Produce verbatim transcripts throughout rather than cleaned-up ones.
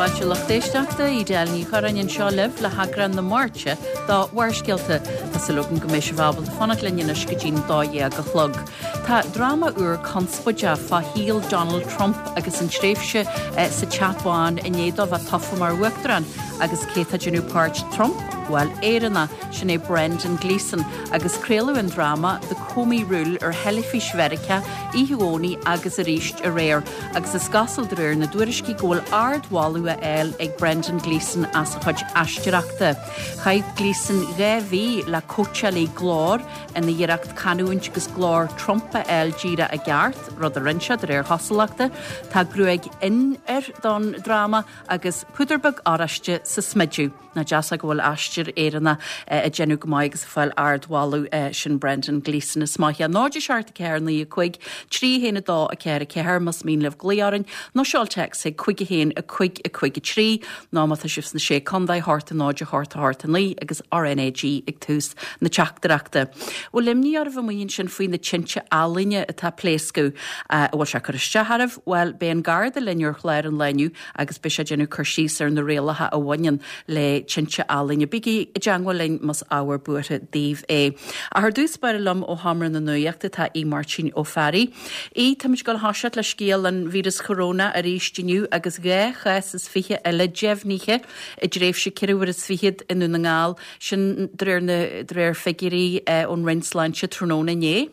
fáilte lucht éisteachta Edel Ní Churráin anseo libh le heagrán na Máirte de Bharrscéalta Tá súil agam go mbeidh sibh ábalta fanacht linn anois go dtí'n dó dhéag a chlog. Tá dráma úr conspóideach fá shaol Donald Trump agus an tréimhse eh, sa Teach Bán i ndiaidh dó bheith tofa mar uachtarán agus cé tá ag déanamh páirt Trump, bhuel Éireannach sin é Brendan Gleeson agus craoladh an dráma The Comey Rule ar theilifís Mheiriceá oíche Dhomhnaigh agus arís aréir, agus is cosúil de réir na dtuairiscí go bhfuil ardmholadh á fháil ag Brendan Gleeson as a chuid aisteoireachta. Chaith Gleeson dhá mhí le cóitseálaí glóir ina iarracht canúint agus glór Trump a fháil díreach i gceart, rud a rinne sé de réir chosúlachta, Tá gruaig fhionn air don dráma agus púdar beag oráiste sa smideadh. Nach deas go bhfuil aisteoir Éireannach ag déanamh go maith agus fáil ardmholadh sin Brendan Gleeson is maith. Náid seacht ceathair naoi a cúig, trí haon a dó a ceathair a ceathair más mian libh glaoch orainn, nó seol téacs ag cúig a haon a cúig a cúig a trí, ná má tá sibh sna sé chontae hocht a náid a hocht a hocht a naoi agus RNAG ag tús na teachtaireachta. Bhfuil imní oraibh amuigh ansin faoi na tinte ealaíne atá ag pléascadh bhfuil sé cur isteach oraibh, bhuel beidh an Garda linn ar chlár an lae inniu agus beidh sé ag déanamh cur síos ar na rialacha a bhaineann le tinte ealaíne. Bígí i dteagmháil linn más ábhar buartha daoibh é. Ach ar dtús báire liom ó Sheomra na Nuachta tá Aodh Máirtín Ó Fearraigh. Aodh táimid ag dul a thoiseacht le scéal an víreas choróna arís inniu agus dhá chás is fiche eile deimhnithe i dtréimhse ceithre huaire is fichead i nDún na nGall sin de réir na de réir figiúirí ón Roinn Sláinte tráthnóna inné.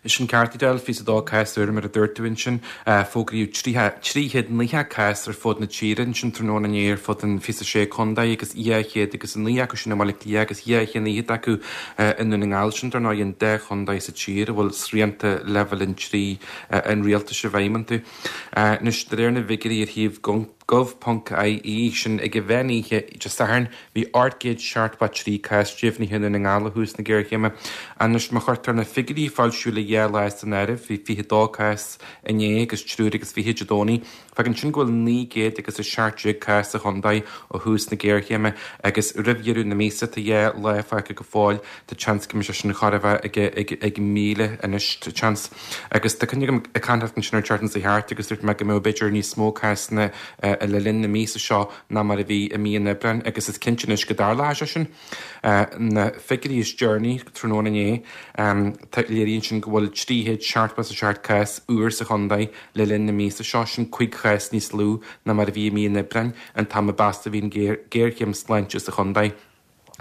Is sin ceart Edel fiche a dó cás úr mar a dúirt tú ansin fógraíodh trí chéad naocha cás ar fud na tíre ansin tráthnóna inné ar fud an fiche sé contae agus dhá chéad agus a naoi acu sin i mBaile Átha Cliath agus dhá chéad fichead acu i nDún na nGall sin dar ndóigh an dá chontae sa tír a bhfuil srianta leibhéal a trí an rialtais i bhfeidhm iontu. Anois de réir na bhfigiúirí ar shuíomh gov.ie sin ag an mheán oíche Dé Sathairn bhí ocht gcéad seachtó trí cás deimhnithe i nDún na nGall ó thús na géarchéime. Anois má chuirtear na figiúirí a foilsíodh le dhá lá san áireamh, bhí fiche dó cás inné agus triúr agus fiche Dé Domhnaigh. Fágann sin go bhfuil naoi gcéad agus a seacht déag cás sa chontae ó thús na géarchéime agus roimh dheireadh na míosa tá dhá lá fágtha go fóill tá seans go mbeidh sé sin chóir a bheith ag, ag, ag míle anois tá seans. Agus tá cuimhne agam ag caint ansin ar an tseachtain seo thart agus dúirt mé go mbeadh b'fhéidir níos mó cásanna le linn na míosa seo ná mar a bhí i mí an Aibreáin agus is cinnte anois go dtarlóidh sé sin. Na figiúirí is deireanaí tráthnóna inné léiríonn sin go bhfuil trí chéad seachtó a seacht cás úr sa chontae le linn na míosa seo sin cúig chás níos lú ná mar a bhí i mí an Aibreáin an t-am a b'mheasa a bhí an géarchéim sláinte sa chontae.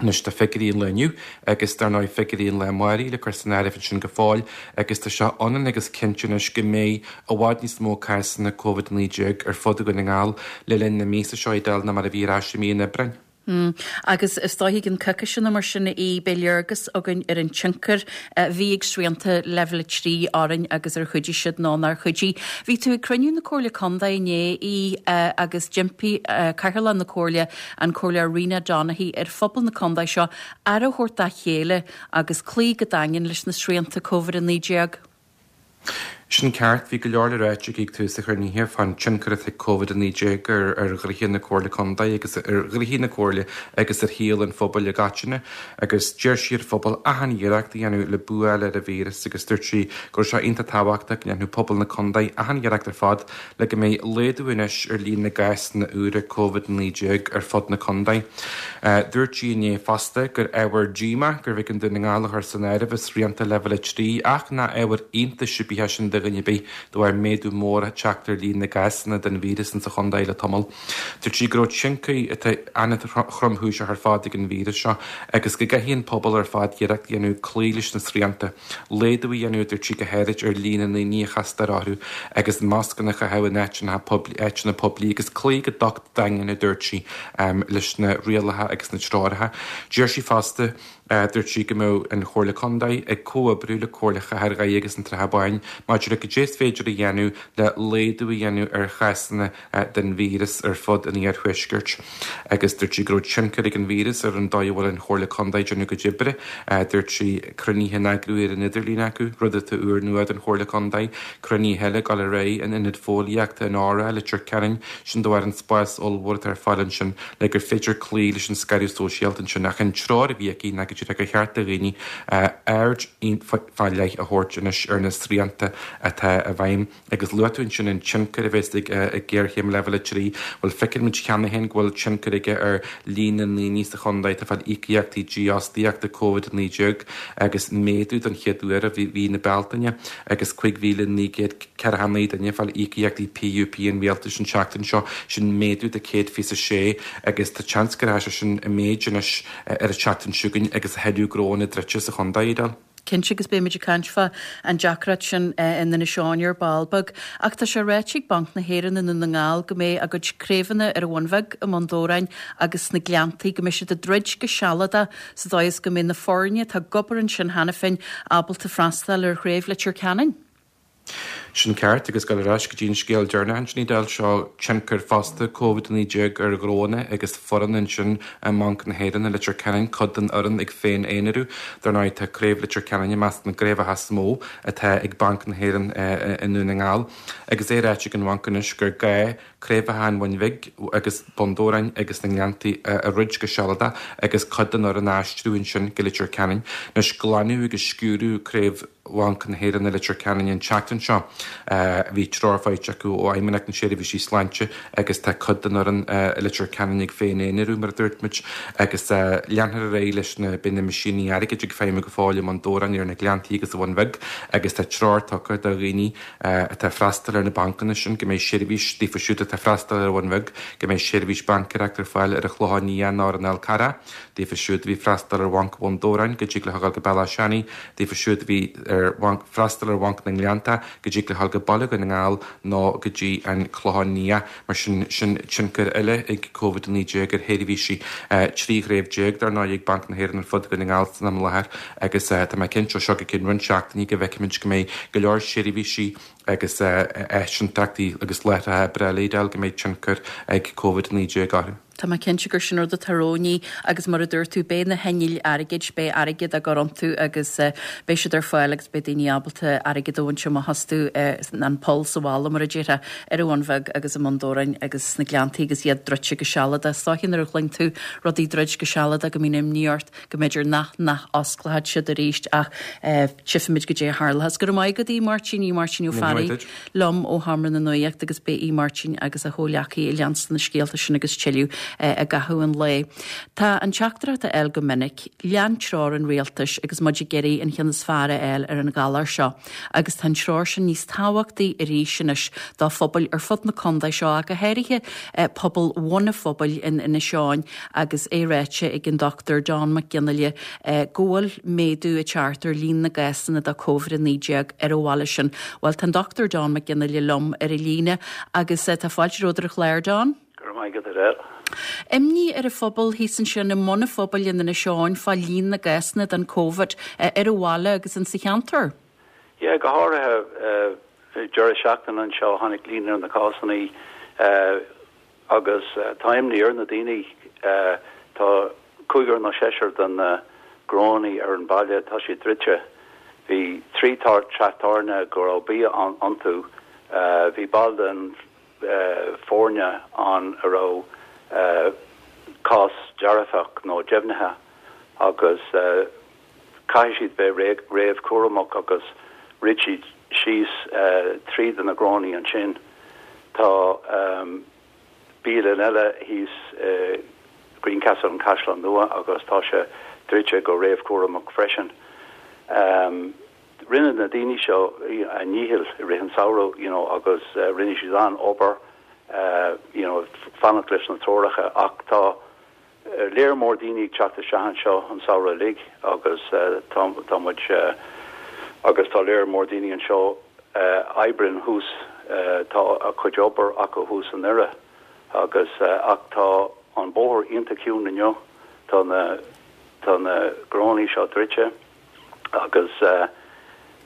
Anois tá figiúirí an lae inniu agus dar ndóigh figiúirí an lae amárach le cur san áireamh ansin go fóill agus tá sé ionann agus cinnte anois go mbeidh i bhfad níos mó cásanna Covid naoi déag ar fud Dhún na nGall le linn na míosa seo Edel ná mar a bhí ar ais i mí an Aibreáin. Mm. Agus is dóigh an coicís seo mar sin í beidh léargas againn ar an tionchar a bhí ag srianta leibhéal a trí orainn agus ar chuidigh siad nó nár chuidigh. Bhí tú ag cruinniú na Comhairle Contae inné í agus d'impigh Cathaoirleach na Comhairle an Comhairleoir Rena Donaghey ar phobal na contae seo aire a thabhairt dá chéile agus cloí go daingean leis na srianta Covid a naoi déag. Sin ceart bhí go leor le ráite ag tús an chruinnithe fán tionchar atá ag Covid a naoi déag ar ar ghnoithe na Comhairle Contae agus ar ghnoithe na Comhairle agus ar shaol an phobail i gcoitinne agus d'iarr sí ar phobal achan iarracht a dhéanamh le bua ar an víreas agus dúirt sí go raibh sé iontach tábhachtach go ndéanfadh pobal na contae achan iarracht ar fad le go mbeidh laghdú anois ar líon na gcásanna úra Covid naoi déag ar fud na contae. Dúirt sí inné fosta gur ábhar díomá gurbh éigean Dún na nGall a chur san áireamh i srianta leibhéal a trí ach nach ábhar iontais ar bith é sin do dhuine ar bith de bharr méadú mór teacht ar líon na gcásanna den víreas insa chontae le tamall. Dúirt sí go raibh tionchar atá an-tromchúiseach ar fad ag an víreas seo agus go gcaithfidh an pobal ar fad iarracht a dhéanamh cloí leis na srianta. Laghdú a dhéanamh dúirt sí go háirid ar líon na ndaoine a chastar orthu agus mascanna a chaitheamh in áiteanna poiblí áiteanna poiblí agus cloí go docht daingean a dúirt sí leis na rialacha agus na treoracha. D'iarr sí fosta Dúirt sí go mbeadh an Chomhairle Contae ag comhoibriú le Comhairle Chathair Dhoire agus an tSratha Báin maidir le cad é is féidir a dhéanamh le laghdú a dhéanamh ar chásanna den víreas ar fud an iarthuaiscirt. Agus dúirt sí go raibh tionchar ag an víreas ar an dóigh a bhfuil an Chomhairle Contae ag déanamh a gcuid oibre. Dúirt sí cruinnithe á n-eagrú ar an idirlíon acu, rud atá úrnua don Chomhairle Contae, cruinnithe eile ag dul ar aghaidh in Ionad Fóillíochta an Óra, Leitir Ceanainn, sin de bharr an spás ollmhór atá ar fáil ansin le gur féidir cloí leis an scaradh sóisialta ansin. Ach an treoir a bhí aici ná go go dtí gur cheart do dhaoine aird fá leith a thabhairt anois ar na srianta atá i bhfeidhm. Agus luaigh tú ansin an tionchar a bheas ag géarchéim leibhéal a trí, bhuel feiceann muid cheana féin go bhfuil tionchar aige ar líon na ndaoine sa chontae atá ag fáil íocaíochtaí dífhostaíochta Covid a naoi déag agus méadú don chéad uair i mhí na Bealtaine agus cúig mhíle naoi gcéad ceathracha naoi duine ag fáil íocaíochtaí PUP an rialtais an tseachtain seo, sin méadú de céad fiche a sé agus tá seans go rachaidh sé sin i méid anois ar an tseachtain seo chugainn agus a thuilleadh gnóanna druidte sa chontae, Edel. Cinnte agus beimid ag caint fá an deacracht sin in Inis Eoghain ar ball beag. Ach tá sé ráite ag Banc na hÉireann i nDún na nGall go mbeidh a gcuid craobhanna ar an Bhun Bheag, i mBun Dobhráin agus sna Gleanntaí, go mbeidh siad ag druid go sealadach sa dóigh is go mbeidh na foirne atá ag obair ansin cheana féin ábalta freastal ar chraobh Leitir Ceanainn. Sin ceart, agus dul ar ais go dtí an scéal deireanach ansin, Edel, seo tionchar fosta Covid a naoi déag ar ghnóanna agus foireann ansin i mBanc na hÉireann i Leitir Ceanainn, cuid den fhoireann ag féin-aonarú. Dar ndóigh tá craobh Leitir Ceanainn i measc na gcraobhacha is mó atá ag Banc na hÉireann i nDún na nGall. Agus é ráite ag an bhanc anois gur gá craobhacha an Bhun Bhig agus Bun Dobhráin agus na nGleanntaí a dhruid go sealadach agus cuid den fhoireann a aistriú ansin go Leitir Ceanainn. Anois glanadh agus sciúradh craobh Bhanc na hÉireann i Leitir Ceanainn an tseachtain seo. Bhí treoir faighte acu ó Fheidhmeannacht na Seirbhísí Sláinte agus tá cuid den fhoireann i Leitir Ceanainn ag féin-aonarú, mar a dúirt muid, agus leanfar ar aghaidh leis na, beidh na meaisíní airgid ag feidhmiú go fóill i mBun Dobhráin, ar na Gleanntaí agus sa Bhun Bheag agus tá treoir tugtha do dhaoine atá ag freastal ar na bancanna sin go mbeidh seirbhís daofa siúd atá ag freastal ar an Bhun Bheag go mbeidh seirbhís baincéireachta ar fáil ar an Chlochán Liath nó ar an Fhál Carrach, daofa siúd a bhí ag freastal ar Bhanc Bhun Dobhráin go dtig leo a ghabháil go Bealach Seanaidh, daofa siúd a bhí ar bhanc freastal ar Bhanc na nGleannta go dtig leo a ghabháil go Baile Dhún na nGall nó go dtí an Clochán Liath. Mar sin, sin tionchar eile ag Covid a naoi déag ar sheirbhísí. Trí chraobh déag dar ndóigh ag Banc na hÉireann ar fud Dhún na nGall san am i láthair agus tá mé cinnte ó seo go ceann roinnt seachtainí go bhfeicfimid go mbeidh go leor seirbhísí agus áisinteachtaí agus láithreacha oibre eile, Edel, go mbeidh tionchar ag Covid a naoi déag orthu. Tá mé cinnte gur sin rud atá romhainn agus mar a dúirt tú, beidh na hinnill airgid, beidh airgead á gcur iontu agus beidh siad ar fáil agus beidh daoine ábalta airgead a bhaint amach astu, an poll sa bhalla mar a déarfá, ar an Bhun Bheag agus i mBun Dobhráin agus sna Gleanntaí agus iad druidte go sealadach. Is dóiche nuair a chluin tú rudaí druid go sealadach go mbíonn imní ort go mb'fhéidir nach nach osclóidh siad arís ach tchífimid goidé a tharlós. Go raibh maith agat a Mháirtín, a Mháirtín Ó Fearraigh liom ó Sheomra na Nuachta agus beidh a Mháirtín agus a chomhghleacaithe ag leanstan na scéalta sin agus tuilleadh i gcaitheamh an lae. Tá an teachtaireacht á fháil go minic, lean treoir an rialtais agus muid ag iarraidh an cheann is fearr a fháil ar an ghalar seo agus tá an treoir sin níos tábhachtaí arís anois do phobail ar fud na contae seo ach go háirithe pobal Bhun an Phobail in Inis Eoghain agus é ráite ag an Dochtúir Don Mac Fhionnghaile go bhfuil méadú ag teacht ar líon na gcásanna de Covid a naoi déag ar an bhaile sin. Bhuel tá an Dochtúir Don Mac Fhionnghaile liom ar an líne agus tá fáilte romhat ar an chlár, Don. Go raibh maith agat, Edel. Imní ar an phobal thíos ansin i mbun an phobail in Inis Eoghain fá líon na gcásanna den Covid ar an bhaile agus insa cheantar. Yeah, go háirithe deireadh seachtaine anseo tháinig líon ar na cásanna agus tá imní ar na daoine. Tá cúigear nó seisear den na gnónnaí ar an baile, tá siad druidte. Bhí trí teach tábhairne go raibh bia iontu. Bhí ball den foirne ann a raibh cás dearfach nó deimhnithe agus caithfidh siad bheith réamhchúramach agus dhruid siad síos trí de na gnónnaí ansin. Tá bialann eile thíos i Greencastle, an Caisleán Nua, agus tá sé druidte go réamhchúramach freisin. Rinne na daoine seo a ndícheall i rith an samhradh you know agus rinne siad an-obair you know fanacht leis na treoracha ach tá léar mór daoine ag teacht isteach anseo an samhradh uilig agus tá tá muid agus tá léar mór daoine anseo a oibríonn thuas tá a cuid obair acu thuas i nDoire agus ach tá an bóthar iontach ciúin inniu tá na tá na gnónnaí seo druidte agus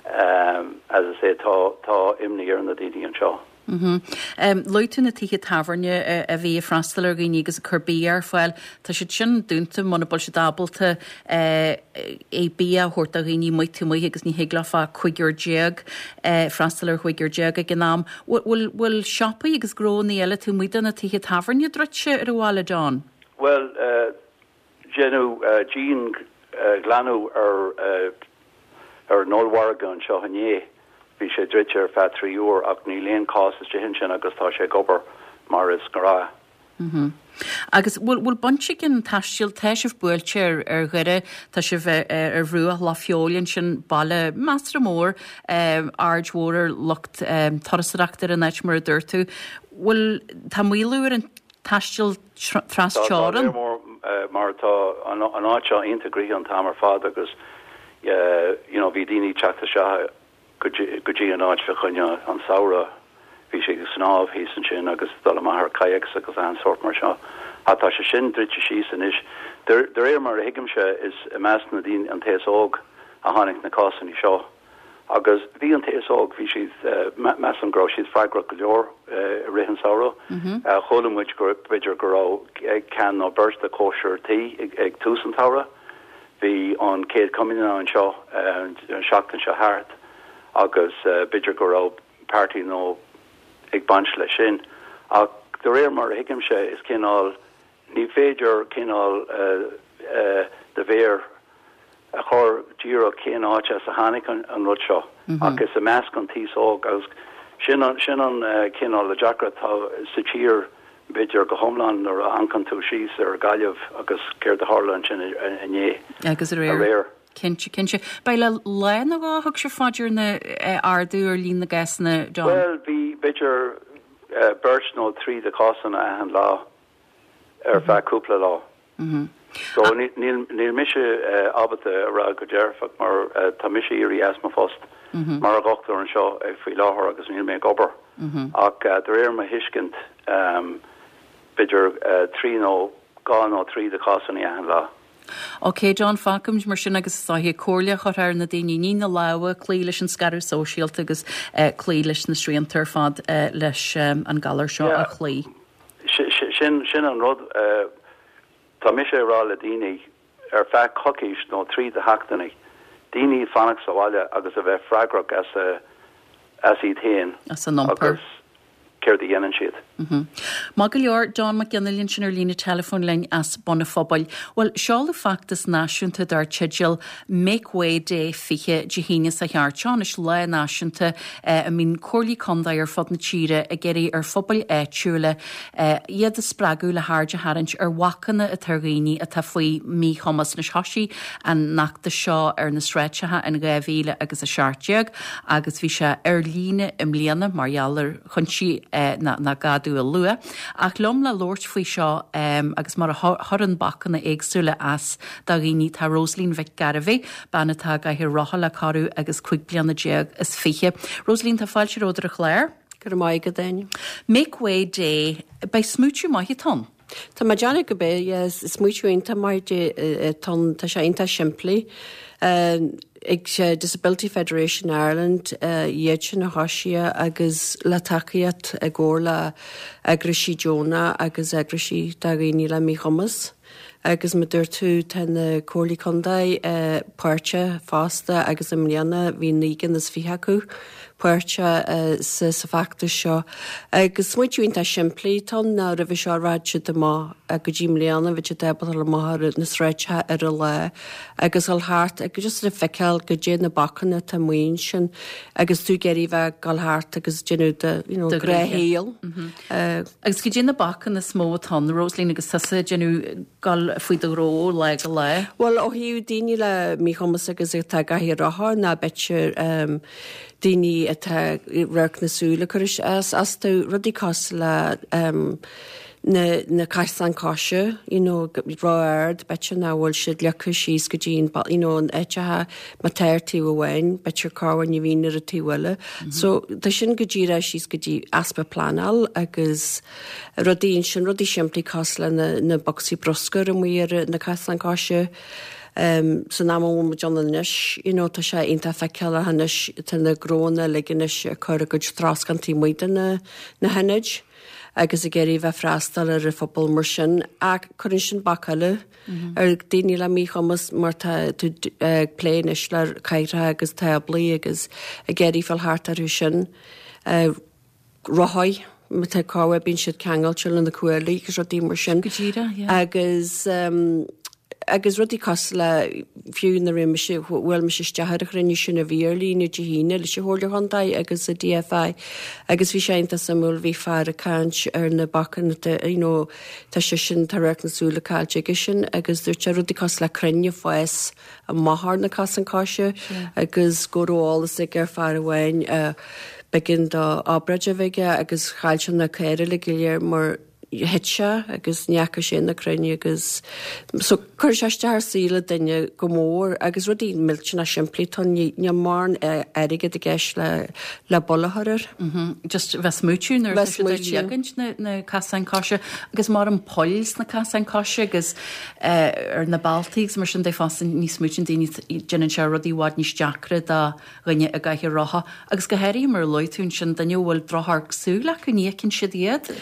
as I say tá tá imní ar na daoine anseo. Luaigh tú na tithe tábhairne a bhí ag freastal ar dhaoine agus ag cur bia ar fáil. Tá siad sin dúnta muna bhfuil siad ábalta é bia a thabhairt do dhaoine amuigh taobh amuigh agus ní thig leo ach cúigear déag freastal ar chúigear déag ag an am. Bhfuil bhfuil siopaí agus gnónnaí eile taobh amuigh de na tithe tábhairne druidte ar an bhaile, Don? Bhuel, déanadh dian glanadh ar ar an ollmhargadh anseo inné. Bhí sé druidte ar feadh trí uair ach níl aon cás istigh ansin agus tá sé ag obair mar is gnáth. Mm -hmm. Agus bhfuil bhfuil baint ag an taisteal tá sibh buailte ar ar Dhoire tá sibh ar, ar bhruach Loch Feabhail ansin baile measartha mór um, aird mhór ar lucht um, turasóireachta ar an áit mar a dúirt tú. Bhfuil tá maolú ar an taisteal trasteorann? mór mar tá an áit seo iontach gnoitheach an t-am ar fad agus you know, bhí daoine teacht isteach go dtí an áit fá choinne an samhradh bhí sé ag snámh thíos ansin agus dul amach ar kayaks agus an sórt mar seo. Ach tá sé sin druidte síos anois. De réir mar a thuigimse is i measc na daoine an t-aos óg a tháinig na cásanna seo. Agus bhí an t-aos óg bhí siad measaim go raibh siad freagrach go leor i rith an samhradh. Chuala muid go b'fhéidir go raibh ceann nó beirt de cóisir tí ag tús an tsamhraidh. Bhí an céad comaoineach anseo an seachtain seo thart agus b'fhéidir go raibh party nó ag baint leis sin. Ach de réir mar a thuigimse is cineál ní féidir cineál de bhéir a chur díreach cén áit as a tháinig an, an rud seo mm -hmm. agus i measc an t-aos óg agus sin an, sin an uh, cineál le deacra tá sa tír b'fhéidir go hiomlán nuair a amharcann tú síos ar Gaillimh agus céard a tharla ansin inné agus aréir. Cinnte cinnte. Ba le lá nó dhá thug sé faoi deara na ardú ar líon na gcásanna John? Well bhí b'fhéidir uh, beirt nó trí de cásanna achan lá ar feadh cúpla lá. Mm -hmm. So níl níl mise uh, ábalta a rá go dearfach mar uh, tá mise éirithe as mo phost mm -hmm. mar dhochtúir anseo uh, faoi láthair agus níl mé ag obair. Mm -hmm. Ach uh, de réir mo thuiscint um, b'fhéidir uh, trí nó dhá nó trí de cásanna achan lá. Ok, John fágfaimid mar sin agus sáhí comhairle chur ar na daoine ní na lámha cloí leis an scaradh sóisialta agus uh, cloí leis na srianta ar fad uh, leis um, an galar seo yeah. a chloí. Sin sin an rud uh, tá mise ag rá le daoine ar feadh coicís nó trí de sheachtainí. Daoine fanacht sa bhaile agus a bheith freagrach as a as iad féin as an iompar. Céard a dhéanann siad. Mm -hmm. Maith go leor John Mac Fhionnaile sin ar líne telefón linn as Bun an Phobail. Well seoladh feachtas náisiúnta dar teideal Make Way Day fiche Dé hAoine seo thart seo is lá náisiúnta eh, a mbíonn comhairlí contae ar fud na tíre ag iarraidh ar phobail áitiúla eh, iad a spreagadh le haird a tharraingt ar bhacanna atá ar dhaoine atá faoi míchumas na thosaigh an fheachtas seo ar na sráideanna in dhá mhíle agus a seacht déag agus bhí sé ar líne i mbliana mar gheall ar chúinsí eh, na, na gadú a lua. Ach liom le labhairt faoi seo um, agus mar a chuireann bacanna éagsúla as do dhaoine tá Rosaline Mhic Gairbhí, bean atá i gcathaoir rotha le corradh agus cúig bliana déag is fiche. Rosaline tá fáilte romhat ar an chlár? Go maith go daine. Make Way Day beidh smaoineamh maith ann. Tá má deanna go bé smaoineamh iontach maith tá sé iontach simplí. Ag Disability Federation Ireland iad sin a thosaigh agus le tacaíocht i gcomhar le eagraisí deonacha agus eagraisí do dhaoine le míchumas. Agus mar dúirt tú tá na comhairlí contae páirteach fosta agus i mbliana bhí naoi gcinn is fiche acu páirteach sa sa fheachtas seo. Agus smaoineamh iontach simplí tá ná roimhe seo rachadh siad amach go dtí mbliana bhí siad ábalta amach ar na sráideanna ar a lá agus dul thart agus just le feiceáil goidé na bacanna atá amuigh ansin agus tú ag iarraidh bheith dul thart agus déanamh de you know, gnáthshaol. Agus goidé na bacanna is mó atá na Rosaline agus tusa déanamh gal faoi do ghnó lá go lá. Well ó thaobh daoine le míchumas agus atá i gcathaoir rotha ná b'fhéidir um, daoine atá radharc na súile cur as astu rudaí cosúil le um, na na caisleán coise you know ró-ard b'fhéidir nach bhfuil siad leagtha síos go dtí you know an áiteacha má tá ar taobh amháin b'fhéidir cá ní bhíonn ar an taobh eile. Mm -hmm. So tá sin go díreach síos go dtí easpa pleanáil agus rudaí sin rudaí simplí cosúil le na, na bocsaí bruscair amuigh ar na caisleán coise. Um, san am mu John anois you know, tá sé iontach feiceáil anois tá na gnónna uilig anois ag cur a gcuid troscán amuigh de na, na hionaid agus ag iarraidh bheith freastal ar an phobal mar sin ach cuireann sin bac eile ar daoine le míchumas mar tá tú ag plé anois le cathaoireacha agus táblaí agus ag iarraidh fáil thart orthu sin. Uh, rothaí má tá cá bíonn siad ceangailte le na cuaillí agus rudaí mar sin. Go díreach, yeah. Agus um, agus rudaí cosúil le fiú nuair a bhí mise bhuail mise isteach ar an chruinniú sin a bhí ar líne Dé hAoine leis an Chomhairle Chontae agus an DFI agus bhí sé iontach suimiúil bhí fear ag caint ar na bacanna you know tá sé sin tá radharc na súile caillte aige sin agus dúirt sé rudaí cosúil le crainn ag fás amach ar na casáin coise agus go raibh eolas ag ar fear amháin b'éigean dó obráid a bheith aige agus chaill sé na caora uilig go léir mar thit sé agus ní fhaca sé na crainn agus so chuir sé isteach ar saol duine go mór agus rudaí millteanach simplí tá níl mórán airgead i gceist le le buille a chur air. Just bheith smaoitiú nuair atá siad ag leagaint na na casáin coise agus mar an poill sna casáin coise agus ar na bealtaí agus mar sin de fosta ní smaoitíonn daoine déanann sé rudaí i bhfad níos deacra do dhuine i gcathaoir rotha agus go háirithe mar a luaigh tú ansin duine a bhfuil drochamharc súl acu ní fheiceann siad iad.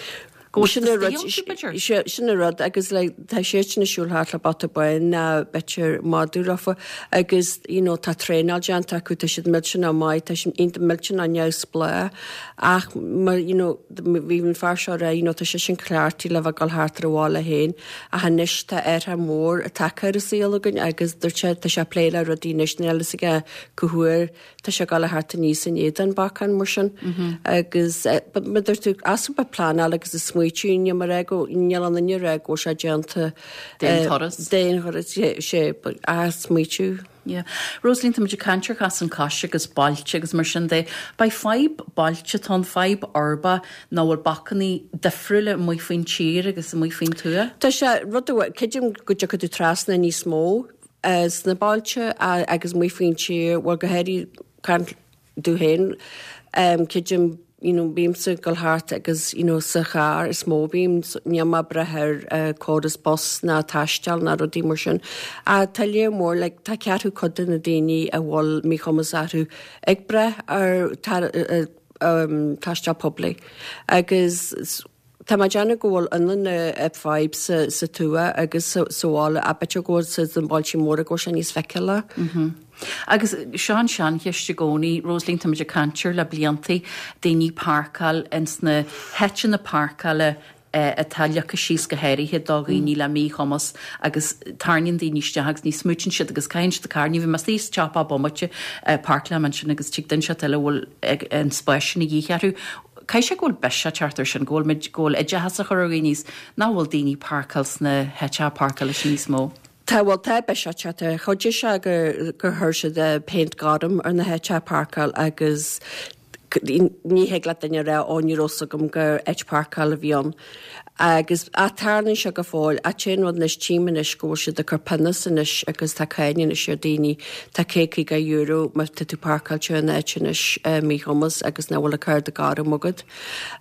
Go Sin an rud sin an rud agus like, tá siad sin ag siúl thart le bata bán ná b'fhéidir madadh leofa agus you know, tá traenáil déanta acu tá siad millteanach maith tá siad iontach millteanach neamhspleách ach mar you know, bhí an fear seo rá you know, tá sé sin cleachtaithe le bheith ag dul thart ar a bhaile féin ach anois tá athrú mór tagtha ar an saol againn agus dúirt sé tá sé ag plé le rudaí anois níl a fhios aige cá huair tá sé ag dul thart aníos in éadan bacán mar sin agus mar dúirt tú easpa pleanáil agus is smaoitiú níl mar go níl an duine rá go bhfuil sé déanta D'aon turas. D'aon turas sé a smaoitiú. Yeah. Rosaleen tá muid ag caint ar chasáin coise agus bailte agus mar sin de. Beidh fadhb bailte tá an fadhb uirbeach ná bhfuil bacannaí difriúla amuigh faoin tír agus amuigh faoin tuath? Tá sé rud creidim go dtiocfaidh tú trasna níos mó sna bailte agus amuigh faoin tír bhuel go háirithe caint domh féin creidim you know, bímse ag dul thart agus you know, sa charr is mó bím níl mé ag brath ar uh, córas bus ná taisteal ná rudaí mar sin. A tá léir mór like, tá ceathrú cuid de na daoine a bhfuil míchumas orthu ag brath ar tar, uh, um, taisteal poiblí. Agus Tá mé ag déanamh go bhfuil ionann na fadhb sa, sa tuath agus sa, sa bhaile a b'fhéidir go bhfuil sa na bailte móra go bhfuil sé níos feiceála. Mm -hmm. Agus seo an seancheist i gcónaí, Rosaleen tá muid ag caint air le bliantaí daoine páirceáil ins na háiteanna páirceála atá leagtha síos go háirithe do dhaoine le míchumas agus tarraingíonn daoine isteach agus ní smaoitíonn siad agus caitheann siad carr. Ní bhí mé istigh sa tsiopa bomaite páirceálaim ansin agus tig duine inteacht eile a bhfuil an spás sin a dhíth orthu. Caithfidh sé go bhfuil biseach teacht air sin, go bhfuil muid, go bhfuil oideachas á chur ar dhaoine is nach bhfuil daoine páirceáil sna háiteacha páirceála sin níos mó. Tá bhuel tá biseach teacht air. Chuidigh sé gur gur chuir siad péint gorm ar na háiteacha páirceáil agus ní thig le duine a rá ó ní raibh fhios agam gur áit páirceáil a bhí ann. Agus a tarlaíonn sé go fóill, an t-aon rud anois tchím anois go bhfuil siad ag cur pionós anois agus tá cáin anois ar daoine, tá céad caoga euro má tá tú páirceáilte in áit anois míchumas agus nach bhfuil an cárta gorm agat.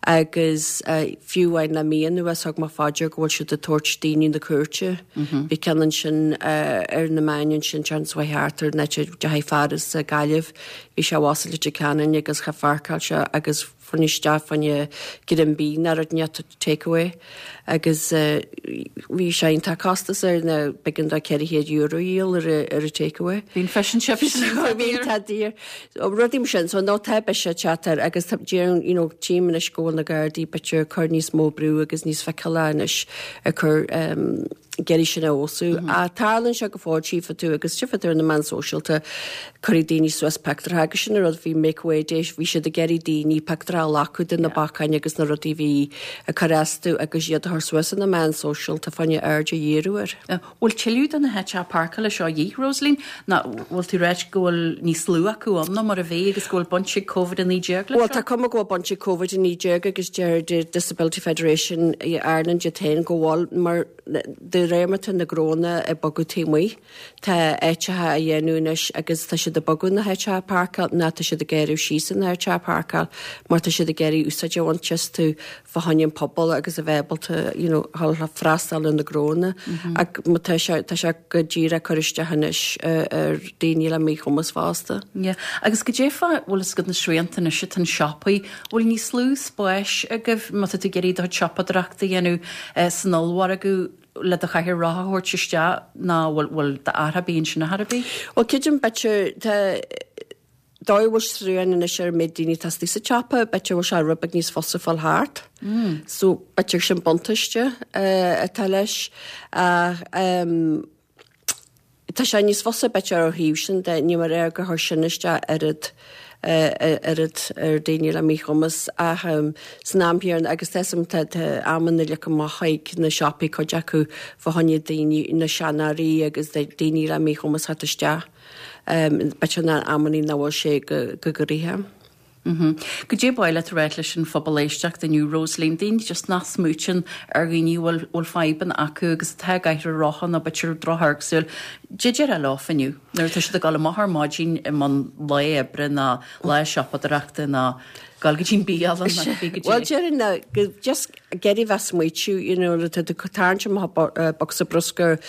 Agus fiú amháin le mí anuas thug mé fá dear go bhfuil siad ag tabhairt daoine na cúirte. Bhí ceann ansin ar na meáin ansin seans uaidh thart ar an áit a dteachaigh fear as Gaillimh, bhí sé abhus i Leitir Ceanainn agus cha pháirceáil sé agus fuair isteach fá choinne greim bídh ná rud inteacht takeaway agus bhí sé iontach costas air na b'éigean dó ceithre chéad euro a dhíol ar ar an takeaway. Bhí an fish and chips Bhí tá daor. Rudaí mar sin so nó tá biseach teacht air agus tá déarfainn you know tchím anois go bhfuil na Gardaí b'fhéidir ag cur níos mó brú agus níos feiceála anois ag cur um, ag iarraidh sin a fheabhsú. A tarlaíonn sé go fóill tchífidh tú agus tchífidh tú ar na meáin sóisialta cuirfidh daoine suas pictiúrtha agus sin an rud bhí Make Way Day bhí siad ag iarraidh daoine pictiúrtha a ghlacadh de na bacáin agus na rudaí bhí ag cur astu agus iad a chur suas ar na meáin sóisialta fá choinne aird a dhíriú air. Bhfuil tuilleadh de na háiteacha páirceála seo a dhíth, Rosaleen? Nó bhfuil tú ag ráit go bhfuil níos lú acu ann ná mar a bhí agus go bhfuil baint ag Covid a naoi déag leis Bhuel tá cuma go bhfuil baint ag Covid a naoi déag agus deir the Disability Federation Ireland iad féin go bhfuil mar de réir mar tá na gnónna ag bogadh taobh amuigh, tá áiteacha á dhéanamh anois agus tá siad ag bogadh na háiteacha páirceáil ná tá siad ag gearradh síos na háiteacha páirceáil mar tá siad ag iarraidh úsáid a bhaint astu fá choinne an pobal agus a bheith ábalta you know, freastal ar na gnónna. Ach má tá sé tá sé go díreach cur isteach anois ar daoine le míchumas fosta. Yeah. Agus goidé fá bhfuil fhios agat na srianta anois atá na siopaí, bhfuil níos lú spáis agaibh má tá tú ag iarraidh do chuid siopadóireachta a dhéanamh san ollmhargadh le do chathaoir rotha a thabhairt isteach ná bhfuil bhfuil d'athrú ar bith ansin ar bith? Well creidim b'fhéidir tá dóigh bhfuil srian anois ar an méid daoine atá istigh sa tsiopa, b'fhéidir bhfuil sé rud beag níos fusa fáil thart. Mm. So b'fhéidir sin buntáiste uh, atá leis. Ach um, tá sé níos fusa b'fhéidir ó thaobh sin de, ní mar é gur chuir sin isteach oiread oiread ar daoine le míchumas ach san am chéanna agus tá tá tá amanna le go amach chuig na siopaí cuid acu fá choinne daoine na seanóirí agus daoine le míchumas theacht isteach. B'fhéidir na amanna nach bhfuil sé go go gairithe. Goidé ba mhaith leat a rá leis an phobal éisteachta inniu Rosaleen, daoine just nach smaoitíonn ar dhaoine bhfuil bhfuil fadhbanna acu agus atá i gcathaoir rotha nó b'fhéidir drochamharc súl. Cad é déarfá leo inniu nuair atá siad ag dul amach ar maidin i mbun lae oibre ná lá siopadóireachta ná dul go dtí an bialann ná cibé go Well dtí. déarfainn ná go just ag iarraidh bheith smaoitiú you know le tá tú ag tarraingt amach bocsa bruscair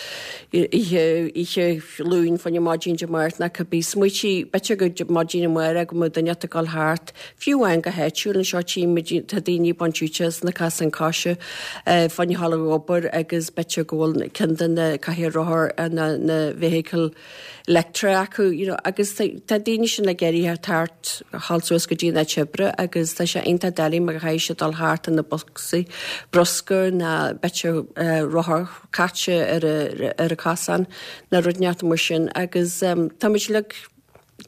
oíche oíche Luain fá choinne maidin Dé Máirt ná cibé smaoitigh b'fhéidir go maidin amárach go mbeadh duine ag dul thart fiú amháin go háitiúil anseo tchímid tá daoine ag baint úsáid as na casáin coise fá choinne dhul ag obair agus b'fhéidir go bhfuil ceann de na cathaoir rothar na na vehicle leictreach acu you know agus tá daoine sin ag iarraidh thart dhul suas go dtí an áit oibre agus tá sé iontach doiligh mar caithfidh siad dul thart na boscaí bruscair ná b'fhéidir rothar caite ar a ar a cosán na rud neart mar sin agus um, tá muid le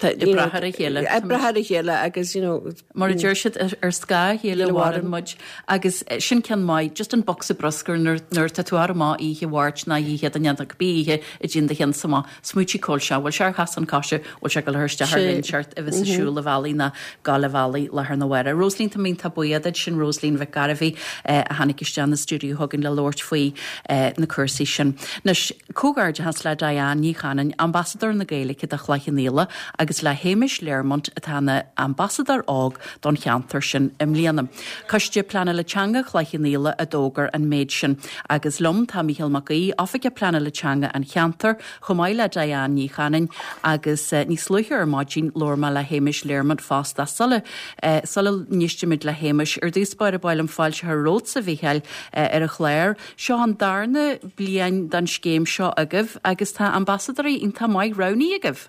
Ag brath ar a chéile. Ag brath ar a chéile agus you know Mar a deir siad ar scáth a chéile a mhaireann muid agus sin ceann maith, just an bocsa bruscair nuair nuair tá tú amach oíche Mháirt ná oíche Dé Luain cibé oíche a dtéann do cheannsa amach. Smaoitigh cá bhfuil sé, bhfuil sé ar chasán coise, bhfuil sé ag dul isteach ar Sé. inseart a bheas ag siúl an bhealaigh ná gabháil an bhealaigh láthair na huaire. Rosaleen tá mé iontach buíoch duit sin Rosaleen Mhic Gairbhí a tháinig isteach na stiúideo chugainn le labhairt faoi na cúrsaí sin. Anois comhghairdeachas le Diane Ní Chanainn, ambasadóir na Gaeilge do Chloich Cheann Fhaola agus le Hamish Learmont atá ina ambasadóir óg don cheantar sin i mbliana. Coiste Pleanála Teanga Chloich Cheann Fhaola a d'fhógair an méid sin, agus liom tá Mícheál Mac Aoidh, Oifigeach Pleanála Teanga an cheantair, chomh maith le Diane Ní Chanainn agus uh, níos luaithe ar maidin labhair mé le Hamish Learmont fosta sula uh, sula n-éistimid le Hamish ar dtús báire ba mhaith liom fáilte a chur romhatsa a Mhícheáil uh, ar an chlár. Seo an darna bliain den scéim seo agaibh agus tá ambasadóirí iontach maith roghnaithe agaibh.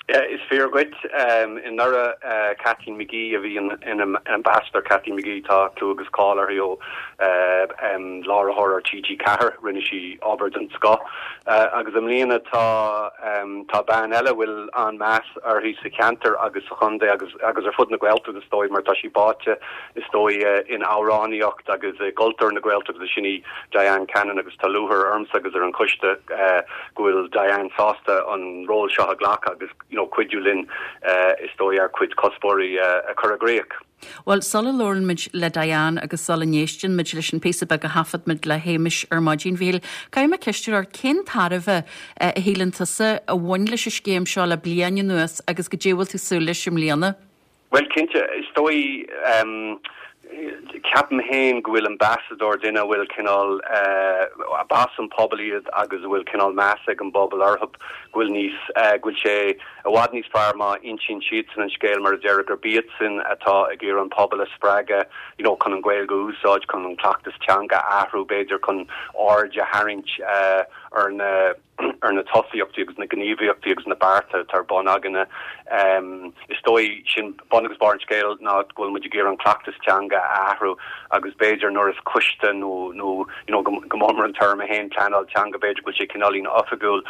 Is fíor duit um, anuraidh uh, Kathleen McGee a bhí in ambassador Kathleen McGee tá clú agus cáil uirthi ó uh, um, láithreoir ar TG Ceathair rinne sí obair den scoth. Uh, agus i mbliana tá um, tá bean eile bhfuil an-mheas uirthi sa cheantar agus sa chontae agus agus ar fud na Gaeltachta is dóigh mar tá sí báite is dóigh uh, in amhránaíocht agus uh, cultúr na Gaeltachta sin í Diane Cannon agus tá lúcháir ormsa agus ar an choiste uh, go bhfuil Diane sásta an ról seo a ghlacadh agus you know, cuidiú linn uh, is dóigh ár gcuid cuspóirí uh, a chur i gcrích. Well sula labhrann muid le Diane agus sula n-éisteann muid leis an píosa beag a thaifead muid le Hamish ar maidin Mhíchíl, Caithfidh mé ceist ort cén tairbhe a shíleann tusa a bhain leis an scéim seo le bliain anuas agus goidé bhfuil tú súil leis i mbliana? Well cinnte is dóigh um, ceapaim féin go bhfuil ambasadóir duine bhfuil cineál uh, bas an pobal iad agus bhfuil cineál meas ag an bpobal orthu go bhfuil níos uh, go bhfuil sé i bhfad níos fearr má insíonn siadsan an scéal mar a deir gurb iadsan atá ag iarraidh an pobal a spreagadh you know, chun an Ghaeilge a úsáid chun an cleachtas teanga a athrú b'fhéidir chun aird a tharraingt uh, ar na ar na tosaíochtaí agus na gníomhaíochtaí agus na bearta atá ar bun againne. Um, is dóigh sin bun agus barr an scéil ná go bhfuil muid ag iarraidh an cleachtas teanga a athrú agus b'fhéidir nuair is coiste nó nó you know, go mór an term haon pleanáil teanga b'fhéidir go bhfuil sé cineáilín oifigiúil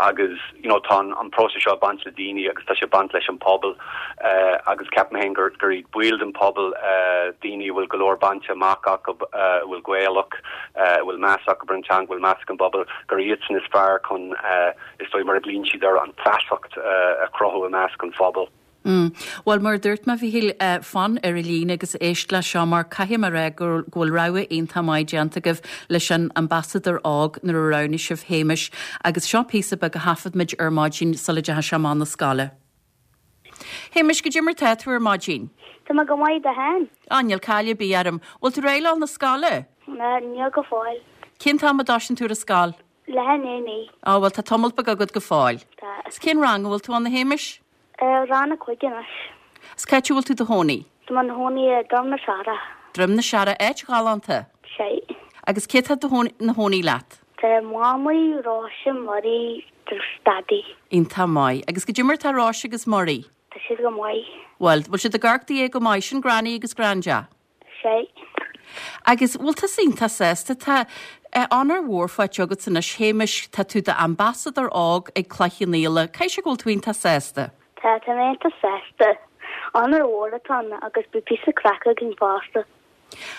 agus you know, tá an próiseas seo baint le daoine agus tá sé baint leis an pobal uh, agus ceapaim féin gur gur iad baill den pobal uh, daoine bhfuil go leor bainte amach acu uh, bhfuil Gaelach uh, bhfuil meas acu ar an teanga bhfuil meas an bpobal gur iadsan is fearr chun uh, is dóigh mar a bhíonn siad ar an feasacht uh, a chruthú i measc an phobal. Mm. Well mar dúirt mé Mhíchíl uh, fan ar an líne agus éist le seo mar caithfidh mé rá go bhfuil rogha iontach maith déanta agaibh leis an ambasadóir óg nuair a roghnaigh sibh Hamish agus seo píosa beag a thaifead muid ar maidin sula ndeachaigh sé amach na scoile. Hamish goidé mar tá tú ar maidin. Tá mé go maith tú féin? Á níl caill ar bith orm, bhfuil tú réidh na scoile? Na níl go fóill. Cén t-am a dtosaíonn tú ar scoil? Le naoi. Á bhfuil tá tamall beag agat go fóill. Tá. Is cén rang bhfuil tú ann a Hamish? Rang a cúig anois. Is cá bhfuil tú i do chónaí? Tá mé i mo chónaí i Droim na Searra. Droim na Searra áit ghalánta. Sé. Agus cé tá ina chónaí leat? Tá Mamaí Róise Murray agus Daidí. Iontach maith, agus goidé mar tá Róise agus Murray. Tá siad go maith. Well, bhfuil siad ag amharc do go maith sin Granny agus Granda. Sé. Agus bhfuil tú iontach sásta tá Onóir mhór faighte agat anois, Shéamais, tá tú d'ambasadóir óg ag Cloich Cheann Fhaola. Caithfidh sé go bhfuil tú iontach sásta? Tá, tá mé iontach sásta. Onóir mhór atá ann agus beidh píosa craic againn fosta.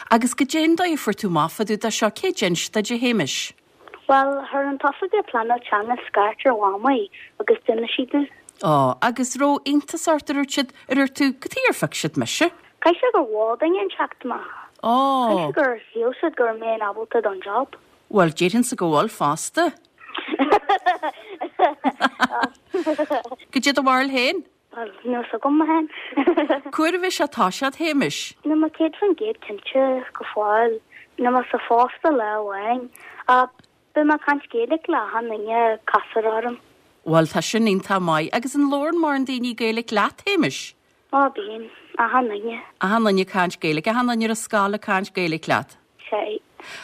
Agus goidé an dóigh a fuair tú amach fá dtaobh de seo, cé d'inis duit, a Shéamais? Bhuel, chuir an t-oifigeach pleanála teanga scairt ar Mhamaí agus d'inis sí domh. Á, agus raibh iontas ort, a dúirt siad, a dúirt tú, cad chuige ar phioc siad mise? Caithfidh sé gur mhol duine inteacht mé. Á. Caithfidh sé gur shíl siad go raibh mé ábalta don job. Bhuel, déarfainnse go bhfuil fosta. Goidé do bharúil féin? Bhuel, níl a fhios agam féin. Cá huair a bheidh sé ag toiseacht, a Shéamais? Níl mé céad faoin gcéad cinnte go fóill. Níl mé sa phost ach lá amháin. Ach beidh mé ag caint Gaeilge le achan duine a chasfar orm. Bhuel, tá sin iontach maith. Agus an labhrann mórán daoine Gaeilge leat, a Shéamais? Á, bíonn. Achan duine. Achan duine ag caint Gaeilge. Achan duine ar an scoil ag caint Gaeilge leat. Sea.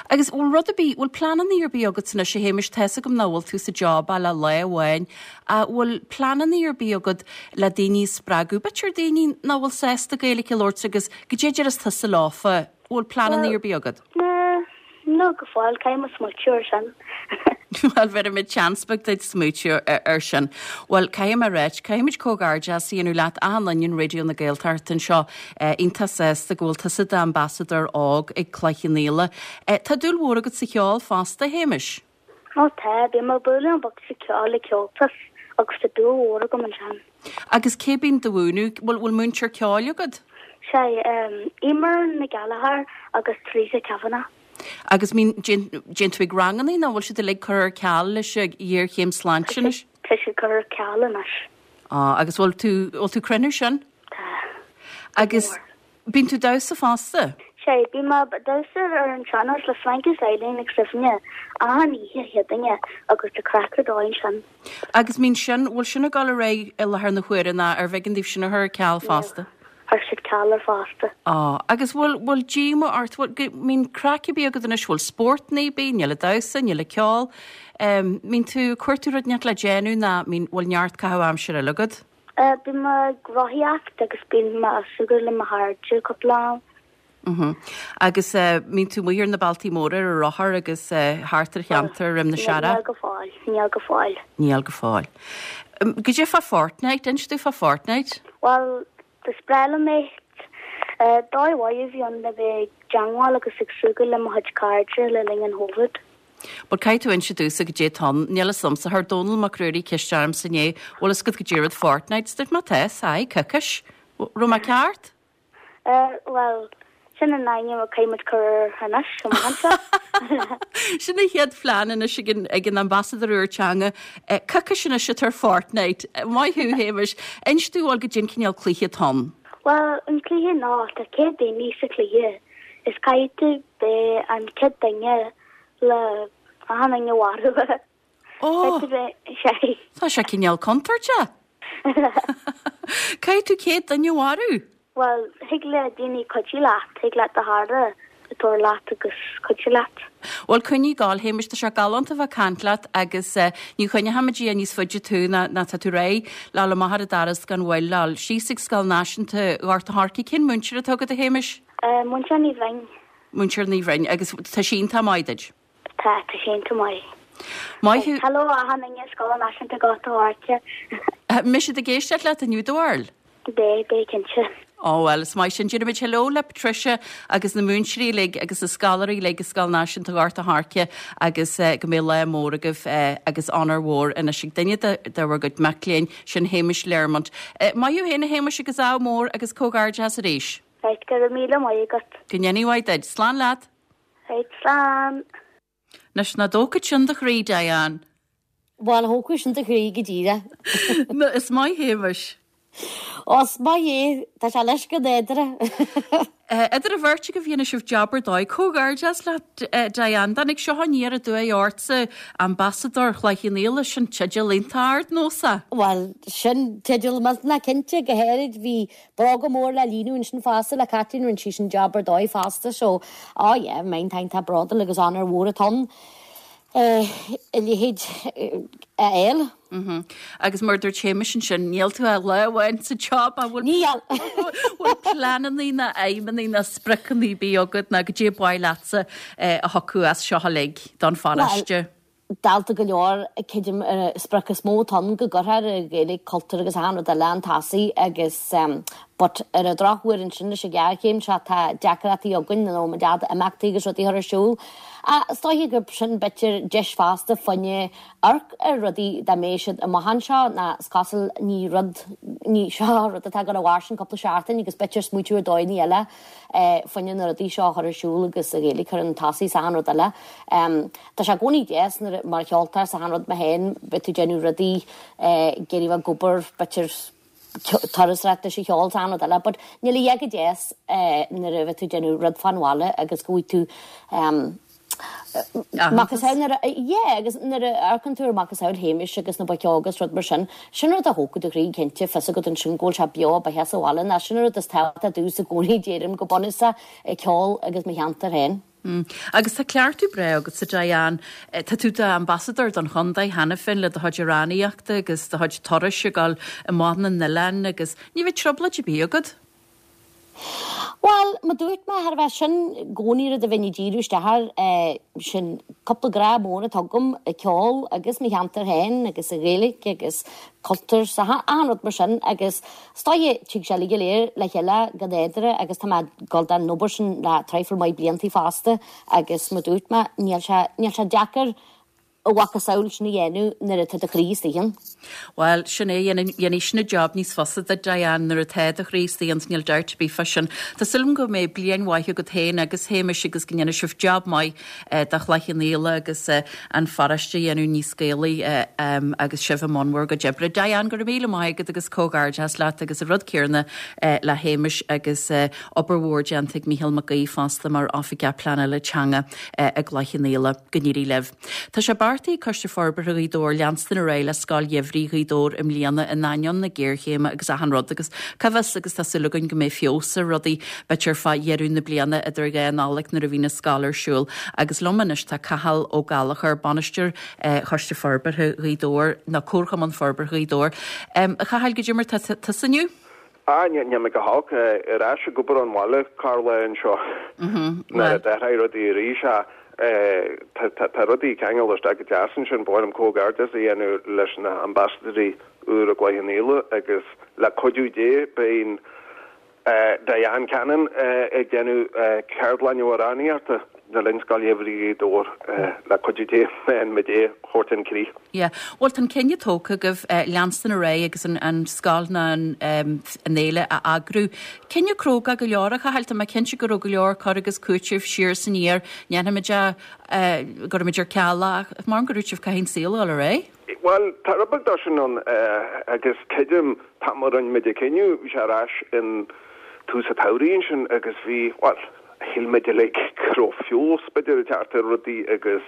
Agus bhfuil rud ar bith, bhfuil pleananna ar bith agat anois, a Shéamais, tá's agam nach bhfuil tú sa job ach le lá amháin, ach bhfuil pleananna ar bith agat le daoine a spreagadh, b'fhéidir daoine nach bhfuil sásta Gaeilge a labhairt agus goidé a déarfas tusa leofa, bhfuil pleananna ar bith agat? Ná, níl go fóill, caithfidh mé smaoitiú ar sin. Bhuel, bhéarfaimid seans beag duit smaoitiú ar sin. Bhuel, caithfidh mé a ráit, caithfimid comhghairdeas a dhéanamh leat, achan duine in Raidió na Gaeltachta anseo, iontach sásta go bhfuil tusa d'ambasadóir óg ag Cloich Cheann Fhaola. Tá dúil mhór agat sa cheol fosta, a Shéamais? Ó tá, bím ag bualadh an bocsa ceoil ag Comhaltas agus tá dúil mhór agam ansin. Agus cé bíonn do mhúineadh? Bhfuil, bhfuil múinteoir ceoil agat? Sea, Eimear Nic Gallchóir agus Teresa Kavanagh. Agus mbíonn, dtéann tú ag rangannaí nó bhfuil siad uilig curtha ar ceal leis an ghéarchéim sláinte anois? Tá siad curtha ar ceal anois. Á, agus bhfuil tú, bhfuil tú cruinniú sin? Tá. Agus bíonn tú damhsa fosta? Sea, bím ag damhsa ar an sean-nós le Frank is Eileen agus Suibhne achan oíche Chéadaoine agus tá craic ar dóigh ansin. Agus mbíonn sin, bhfuil sin ag dul ar aghaidh i láthair na huaire nó arbh éigean daoibh sin a chur ar ceal fosta? Chuir siad ceal air fosta. Á, agus bhfuil, bhfuil díoma ort, bhfuil, go, mbíonn craic ar bith agat anois, bhfuil spórt ar bith, níl ag damhsa, níl ag ceol, em, mbíonn tú, cuir tú rud inteacht le déanamh ná mbíonn, bhfuil neart caitheamh aimsire eile agat? Eh, bím ag rothaíocht agus bím ag súgradh le mo chairde cúpla am. Mhm. Agus eh, mbíonn tú amuigh ar na bealtaí móra ar an rothar agus eh, thart ar cheantar Dhroim na Searra? Níl go fóill, níl go fóill. Níl go fóill. Goidé fá Fortnite, inis domh fá Fortnite? Bhuel, is breá liom é. Dóigh mhaith a bhí ann le bheith ag teagmháil agus ag súgradh le mo chuid cairde le linn an Chovid. But caithfidh tú inse domhsa goidé atá ann, níl fhios a'msa, chuir Dónall Mac Ruairí ceist ormsa inné, bhfuil fhios agat goidé rud Fortnite, dúirt mé tá, aye, coicis. Raibh mé ceart? Bhuel, sin an ainm a caithfidh muid cur air anois, amach anseo. Sin an chéad phlean anois ag an, ag an ambasadóir úr teanga. Coicis anois atá ar Fortnite. Maith thú, Shéamais. Inis domh bhuel goidé an cineál cluiche atá ann. Bhuel, an cluiche ná, tá céad daoine sa chluiche. Is caithfidh tú beith an chéad duine le achan duine a mharú. Ó! Caithfidh tú bheith, sea. Tá sé cineál contúirteach. Caithfidh tú céad duine a mharú? Bhuel, thig le daoine cuidiú leat, thig leat do chara a tabhairt leat agus cuidiú leat. Bhuel, coinnigh ag gabháil, Shéamais, tá sé galánta bheith ag caint leat agus ní choinneochaimid níos faide tú ná ná tá tú réidh le dhul amach ar an doras gan mhoill, le dhul síos ag Scoil Náisiúnta Ghort a' Choirce. Cén múinteoir atá agat, a Shéamais? Múinteoir Ní Bhroin. Múinteoir Ní Bhroin, agus tá sí iontach maith duit? Tá, tá sí iontach maith. Maith thú. Hello achan duine i Scoil Náisiúnta Ghort a' Choirce. Mbeidh siad ag éisteacht leat inniu, do bharúil? Beidh, beidh cinnte. Ó bhuel, is maith sin. Déarfaimid hello le Patricia agus na múinteoirí uilig agus na scoláirí uilig i Scoil Náisiúnta Ghort a' Choirce agus go mbeidh lá mór agaibh agus onóir mhór anois ag duine de de bhur gcuid mac léinn, sin Shéamus Learmont. Maith thú féin a Shéamuis agus ádh mór agus comhghairdeas arís. Right, go raibh míle maith agat. Go ndéanaí mhaith duit. Slán leat. Right, slán. Anois nach dtógfadh sin do chroí, Diane. Bhuel, thógfadh sin do chroí go díreach. No, is maith Shéamuis. Ó, is maith é, tá sé leis go nádúrtha. Idir an bheirt agaibh dhéanfaidh sibh jab ar dóigh. Comhghairdeas leat, Diane. Tháinig seo aniar aduaidh ortsa, Ambasadóir Chloich Cheann Fhaola, sin teideal iontach ard, nósa. Bhuel, sin teideal millteanach cinnte, go háirid bhí bróga mór le líonadh ansin fosta le Caitlín, rinne sí sin jab ar dóigh fosta, so, oh yeah, mé iontach bródúil agus onóir mhór atá ann. a leithéid a fháil. Agus mar dúirt Séamus ansin, níl tú ach lá amháin sa job a bhfuil Níl. bhfuil pleananna ná aidhmeanna ná spriocanna ar bith agat ná goidé ba mhaith leatsa a thiocfadh as seo uilig don pharóiste. Dalta go leor creidim ar sprioc is mó atá ann go gcuirfear an Ghaeilge, cultúr agus achan rud eile chun tosaigh agus but ar an drochuair ansin leis an ghéarchéim seo tá deacrachtaí againn nó muid fhad imeachtaí agus rudaí a chur ar siúl. Is dóiche gurb sin b'fhéidir deis fosta fá choinne amharc ar rudaí dá mbeidh siad amach anseo ná is cosúil ní rud ní seo rud atá ag dul a mhairfeadh cúpla seachtain agus b'fhéidir smaoitiú ar dóigheanna eile fá choinne na rudaí seo a chur ar siúl agus an Ghaeilge a chur chun tosaigh is achan rud eile. Tá sé i gcónaí deas nuair mar cheoltóir is achan rud mé féin beidh tú ag déanamh rudaí ag iarraidh bheith ag obair b'fhéidir turasóireacht leis an cheol is achan rud eile, but níl a dhath chomh deas nuair a bheith tú ag déanamh rud fán bhaile agus go bhfaighidh tú macasamhail nuair a yeah agus nuair a amharcann tú ar macasamhail Shéamais agus na boic óga agus rud mar sin, sin rud a thógfadh do chroí cinnte fios agat ansin go bhfuil sé beo beatha sa bhaile ná sin an rud is tábhachtaí domhsa i gcónaí déarfainn go bunúsach ceol agus mo cheantar féin. Mm. Agus tá cleachtadh breá agatsa Diane. Tá tú d'ambasadóir don chontae cheana féin le do chuid amhránaíochta agus do chuid turais ag dul amach na n-oileán agus ní bheidh trioblóid ar bith agat. Bhuel, mar dúirt mé thar a bheith sin i gcónaí rud a bheinn ag díriú isteach air, sin cúpla grá mór atá agam, ceol agus mo cheantar féin agus an Ghaeilge agus cultúr 's achan rud mar sin agus is dóiche tig sé uilig go léir le chéile go nádúrtha agus tá mé ag dul don obair sin le traidhfil maith bliantaí fosta agus mar dúirt mé níl sé níl sé deacair a mhacasamhail sin a dhéanamh nuair atá do chroí istigh ann. Bhuel, sin é, dhéanfaidh sin an job níos fusa duit, Diane, nuair atá do chroí istigh ann, níl dabht ar bith fá sin. Tá súil agam go mbeidh bliain mhaith agat féin agus Shéamais agus go ndéanfaidh sibh job maith do Chloich Cheann Fhaola agus an pharóiste a dhéanamh níos Gaelaí agus sibh i mbun bhur gcuid oibre. Diane, go raibh míle maith agat agus comhghairdeas leat agus an rud céanna le Shéamais agus obair mhór déanta ag Mícheál Mac Aoidh fosta mar Oifigeach Pleanála Teanga i gCloich Cheann Fhaola. Go n-éirí libh. Tá sé beartaithe ag Coiste Forbartha Ghaoth Dobhair leanstan ar aghaidh le Scoil Gheimhridh Ghaoth Dobhair i mbliana in ainneoin na géarchéime agus achan rud agus cá bhfios agus tá súil againn go mbeidh feabhas ar rudaí b'fhéidir fá dheireadh na bliana idir dhá Nollaig nuair a bhí na scoil ar siúl. Agus liom anois tá Cathal Ó Gallchóir, bainisteoir Choiste Forbartha Ghaoth Dobhair nó Comharchumann Forbartha Ghaoth Dobhair. A Chathail, goidé mar tá tusa inniu? Ah, níl mé go holc, ar ais ag obair ón bhaile, Carla anseo. Nuair a d'athraigh rudaí arís, tá rudaí ag ceangal isteach go deas ansin, ba mhaith liom comhghairdeas a dhéanamh leis na hambasadóirí úra i gCloich Cheann Fhaola agus le cuidiú Dé beidh Diane Cannon ag déanamh ceardlann amhránaíochta le linn Scoil Gheimhridh Ghaoth Dobhair le cuidiú Dé muid é a thabhairt chun críche. Yeah. Bhuel, tá an cinneadh tógtha agaibh leanstan ar aghaidh agus an scoil ná an fhéile a eagrú. Cinneadh cróga go leor a Chathail, tá mé cinnte go raibh go leor cur agus cúiteamh siar is aniar, ndéanfaimid é, gcuirfimid ar ceal é, ach mar go raibh sibh caithfidh an saol a dhul ar aghaidh. Bhuel, tá rud beag dó sin ann agus creidim, an t-am a rinne muid an cinneadh, bhí sé ar ais in tús an tsamhraidh ansin agus bhí, bhuel, shíl muid uilig go raibh feabhas b'fhéidir ag teacht ar rudaí agus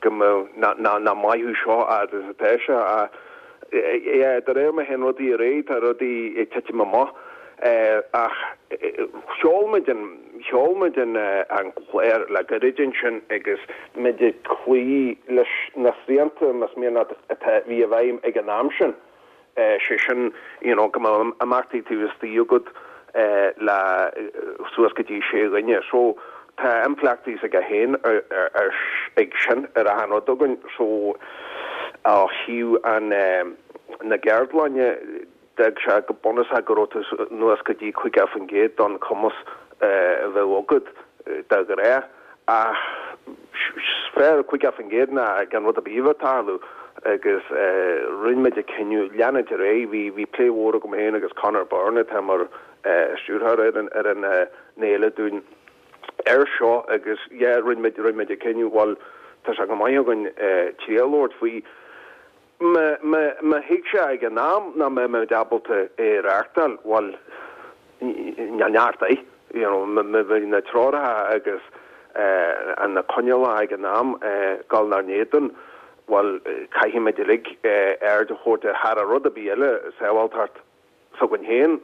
go mbeadh, nach mairfeadh seo fhad is atá sé ach yeah, de réir mar a théann rudaí ar aghaidh tá rudaí ag titim amach ach sheol muid an, sheol muid an an clár le gairid ansin agus muid ag cloí leis na srianta más mian leat atá, bhí i bhfeidhm ag an am sin. sé sin you know go mbeadh imeachtaí taobh istigh agat le suas go dtí sé dhuine. So tá impleachtaí aige féin ag sin ar achan rud againn. So ó thaobh an na gceardlainne d'fhág sé go bunúsach go raibh tú anuas go dtí caoga faoin gcéad don chumas a bheadh agat de ghnáth. Ach is fearr caoga faoin gcéad ná gan rud ar bith a bheith ag tarlú agus rinne muid an cinneadh leanúint ar aghaidh. Bhí bhí plé mhór agam féin agus Conor Byrne atá mar stiúrthóir ar an ar an fhéile dúinn air seo agus yeah rinne muid rinne muid an cinneadh bhuel tá sé go maith againn triail a thabhairt faoi. Má thuig sé ag an am nach mbeadh muid ábalta é a reáchtáil, bhuel, níl neart air. You know, bhí na treoracha agus na coinníollacha ag an am ag dul inár n-éadan, bhuel, caithfidh muid uilig aird a thabhairt ar thar rud ar bith eile, sábháilteacht s'againn féin.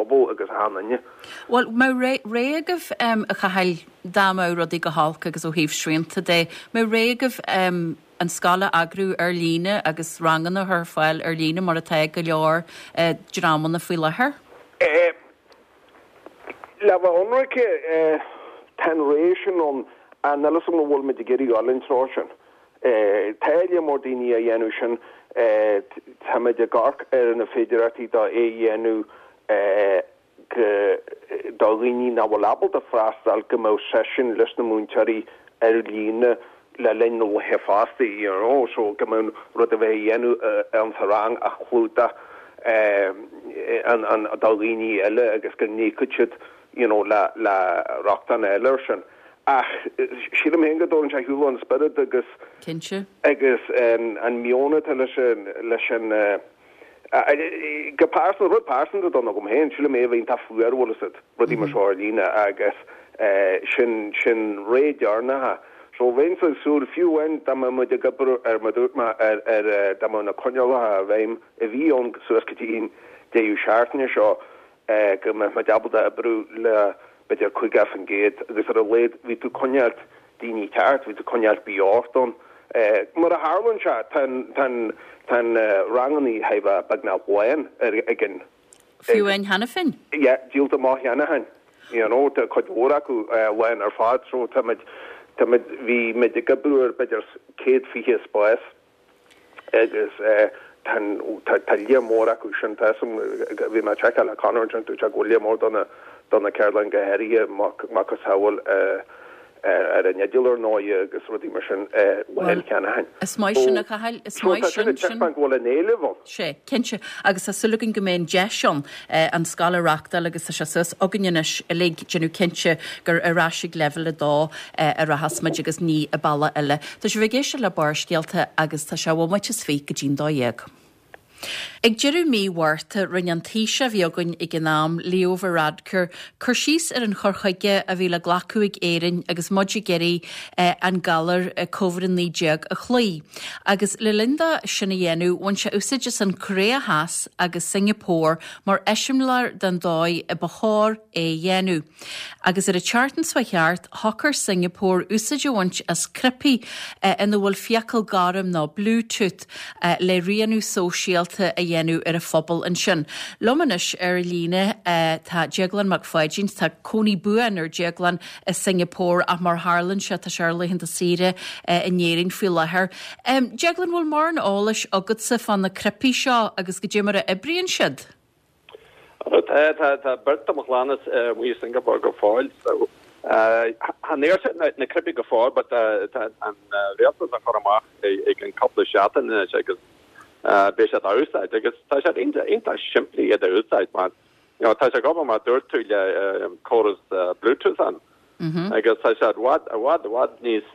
phobal agus achan duine. Bhuel, mbeadh rogha agaibh, a Chathail, dá mbeadh rudaí go holc agus ó thaobh srianta de, mbeadh rogha agaibh an scoil a eagrú ar líne agus ranganna a chur ar fáil ar líne mar atá ag go leor dreamanna faoi láthair? Le bheith ionraic, tá an rogha sin ann, ach níl a fhios agam an bhfuil muid ag iarraidh dul an treo sin. Tá lear mór daoine á dhéanamh sin. Táimid ag amharc ar na féidearthachtaí do é a dhéanamh go do dhaoine nach bhfuil ábalta freastal go mbeadh seisiún leis na múinteoirí ar líne le linn na laetha fosta, you know, so go mbeadh rud a bheith a dhéanamh ann sa rang a chlúdach an an do dhaoine eile agus go n-íocfadh siad you know le le rochtain eile air sin. Ach sílim féin go dtógann sé ar shiúl an spiorad agus Cinnte. agus an meon atá leis an leis an go pearsanta, rud pearsanta dom agam féin, sílim é a bheith iontach fuar bhfuil fhios agat, rudaí mar seo ar líne agus sin sin ré deireanach. So bheinnse ag súil, fiú amháin dá mbeadh muid ag oibriú ar mar dúirt mé ar ar dá mbeadh na coinníollacha i bhfeidhm a bhí ann suas go dtí an deireadh seachtaine seo, go mbeadh muid ábalta oibriú le b'fhéidir caoga faoin gcéad agus ar a laghad bhí tú ag coinneáilt daoine ceart, bhí tú ag coinneáilt beocht ann. Mar a tharlaíonn sé, tá an, tá an, tá an rangannaí thar a bheith beagnach lán ar, ag an. Fiú amháin cheana féin? Yeah, díolta amach cheana féin. You know, tá cuid mhór acu lán ar fad so tá muid, tá muid, bhí muid ag oibriú ar b'fhéidir céad fiche spás. Agus tá tá lear mór acu sin, tá fhios agam, bhí mé ag seiceáil le Conor ansin, dúirt sé go bhfuil lear mór do na do na ceardlann go háirithe, macasamhail ar an idirlíon ar ndóigh agus rudaí mar sin lán cheana féin. Is maith sin a Chathail, is maith sin sin. Tá sin ag taispeáint go bhfuil an éileamh ann. Sea, cinnte. Agus tá súil againn go mbeidh an deis ann an scoil a reáchtáil agus tá sé suas againn anois uilig déanamh cinnte gur ar ais ag leibhéal a dó a rachas muid agus ní i bealach eile. Tá sibh ag éisteacht le Barrscéalta agus tá sé bhomaite is fiche go dtí'n dó dhéag. Ag deireadh mí Mhárta, rinne an Taoiseach a bhí againn ag an am, Leo Varadkar, cur síos ar an chur chuige a bhí le glacadh ag Éirinn agus muid ag iarraidh an galar Covid a naoi déag a chloí. Agus le linn dó sin a dhéanamh, bhain sé úsáid as an Choiréa Theas agus Singapore mar eiseamláir den dóigh a ba chóir é a dhéanamh. Agus ar an tseachtain seo thart, shocair Singapore úsáid a bhaint as cnaipí ina bhfuil fiacail gorm nó Bluetooth le rianú sóisialta a dhéanamh ar a phobal ansin. Liom anois ar líne tá Déaglán Mac Pháidín. Tá cónaí buan ar Déaglán i Singapore ach mar tharlaíonn sé tá sé ar laethanta saoire in Éirinn faoi láthair. Déaglán, bhfuil mórán eolais agatsa fá na cnaipí seo agus goidé mar a oibríonn siad? Tá, tá, tá beirt de mo chlann amuigh i Singapore go fóill so chan fhuair siad na cnaipí go fóill but tá an rialtas á chur amach ag an cúpla seachtain anois agus beidh siad á úsáid agus tá siad iontach simplí iad a úsáid mar you know tá sé ag obair mar dúirt tú le córas Bluetooth ann agus tá siad i bhfad, i bhfad, i bhfad níos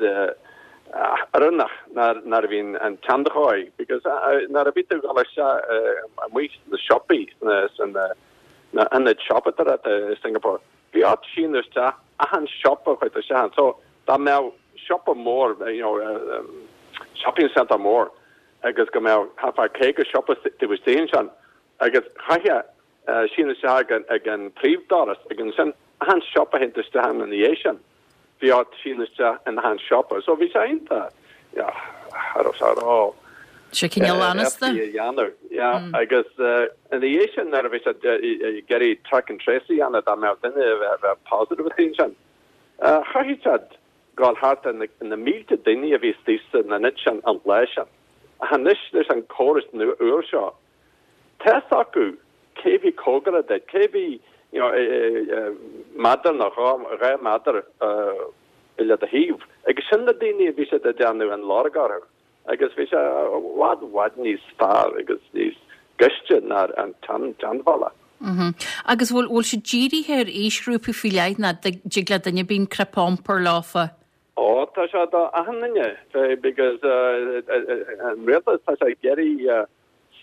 oiriúnach ná nuair a bhí an tseandóigh because nuair a bhí tú ag dul isteach amuigh sna siopaí sna na ionaid siopadóireachta i Singapore bhí ort síniú isteach achan siopa a chuaigh tú isteach ann so dá mbeadh siopa mór you know shopping centre mór agus go mbeadh thart fá caoga siopa taobh istigh ansin agus chaithfeá síniú isteach ag an príomhdoras agus ansin achan siopa a théann tú isteach ann ina dhiaidh sin. Bhí ort síniú isteach in achan siopa. So bhí sé iontach, yeah, cha raibh sé ró Sé cineál anasta. éasca a dhéanamh, yeah. Agus ina dhiaidh sin nuair a bhí siad ag iarraidh track and trace a dhéanamh dá mbeadh duine a bheadh positive istigh ansin, chaithfeadh siad dul thart ar na mílte daoine a bhí istigh san ionad sin an lá sin. Ach anois leis an córas nua úr seo, tá fhios acu cé bhí cóngarach duit, cé bhí you know méadar nó dhá dhá mhéadar le do thaobh. Agus sin na daoine a bhí siad ag déanamh an lorg orthu. Agus bhí sé i bhfad i bhfad níos fearr agus níos gaiste ná an tseanbhealach. Agus bhfuil bhfuil siad dírithe ar aoisghrúpaí faoi leith nó dtig le duine ar bith an cnaipe a iompar leofa? Ó, tá sé do achan duine, because an rialtas, tá sé ag iarraidh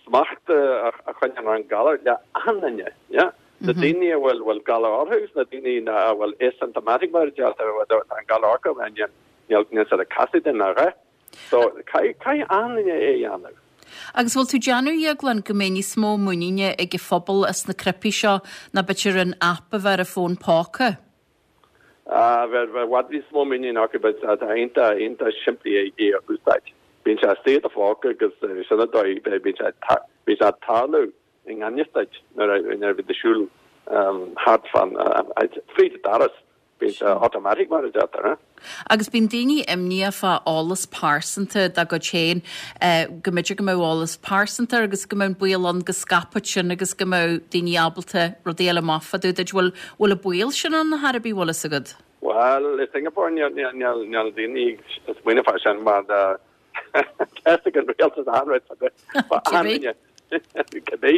smacht a choinneáil ar an galar le achan duine, yeah. Na daoine a bhfuil bhfuil galar orthu agus na daoine a bhfuil asymptomatic mar a deirtear, tá an galar orthu níl níl siad ag casadh duine a dhath. So caithfidh achan duine é a dhéanamh. Agus bhfuil tú ag déanamh, a Dhéagláin, go mbeidh níos mó muiníne ag an phobal as na cnaipí seo ná b'fhéidir an app a bheith ar a bhfón póca? Ah, bheadh i bhfad níos mó muiníne acu but tá iontach, iontach simplí é é a úsáid. Bíonn sé istigh i do phóca agus sin an dóigh, bíonn sé, bíonn sé ag tarlú i ngan fhios duit nuair a, nuair a bhíonn tú ag siúl thart fán, fríd an doras. Bíonn sé automatic mar a deirtear, eh? Agus bíonn daoine imníoch fá eolas pearsanta dá gcuid féin, go mb'fhéidir go mbeadh eolas pearsanta agus go mbeadh an baol ann go scaipfeadh sin agus go mbeadh daoine ábalta rudaí eile amach fá dtaobh duit. Bhfuil, bhfuil an baol sin ann ar chor ar bith, bhfuil fhios agat? Bhuel, i Singapore níl, níl, níl, níl daoine ag smaoineamh fá sin mar tá fhios ag an rialtas achan rud fá dtaobh, fá achan duine. Cibé.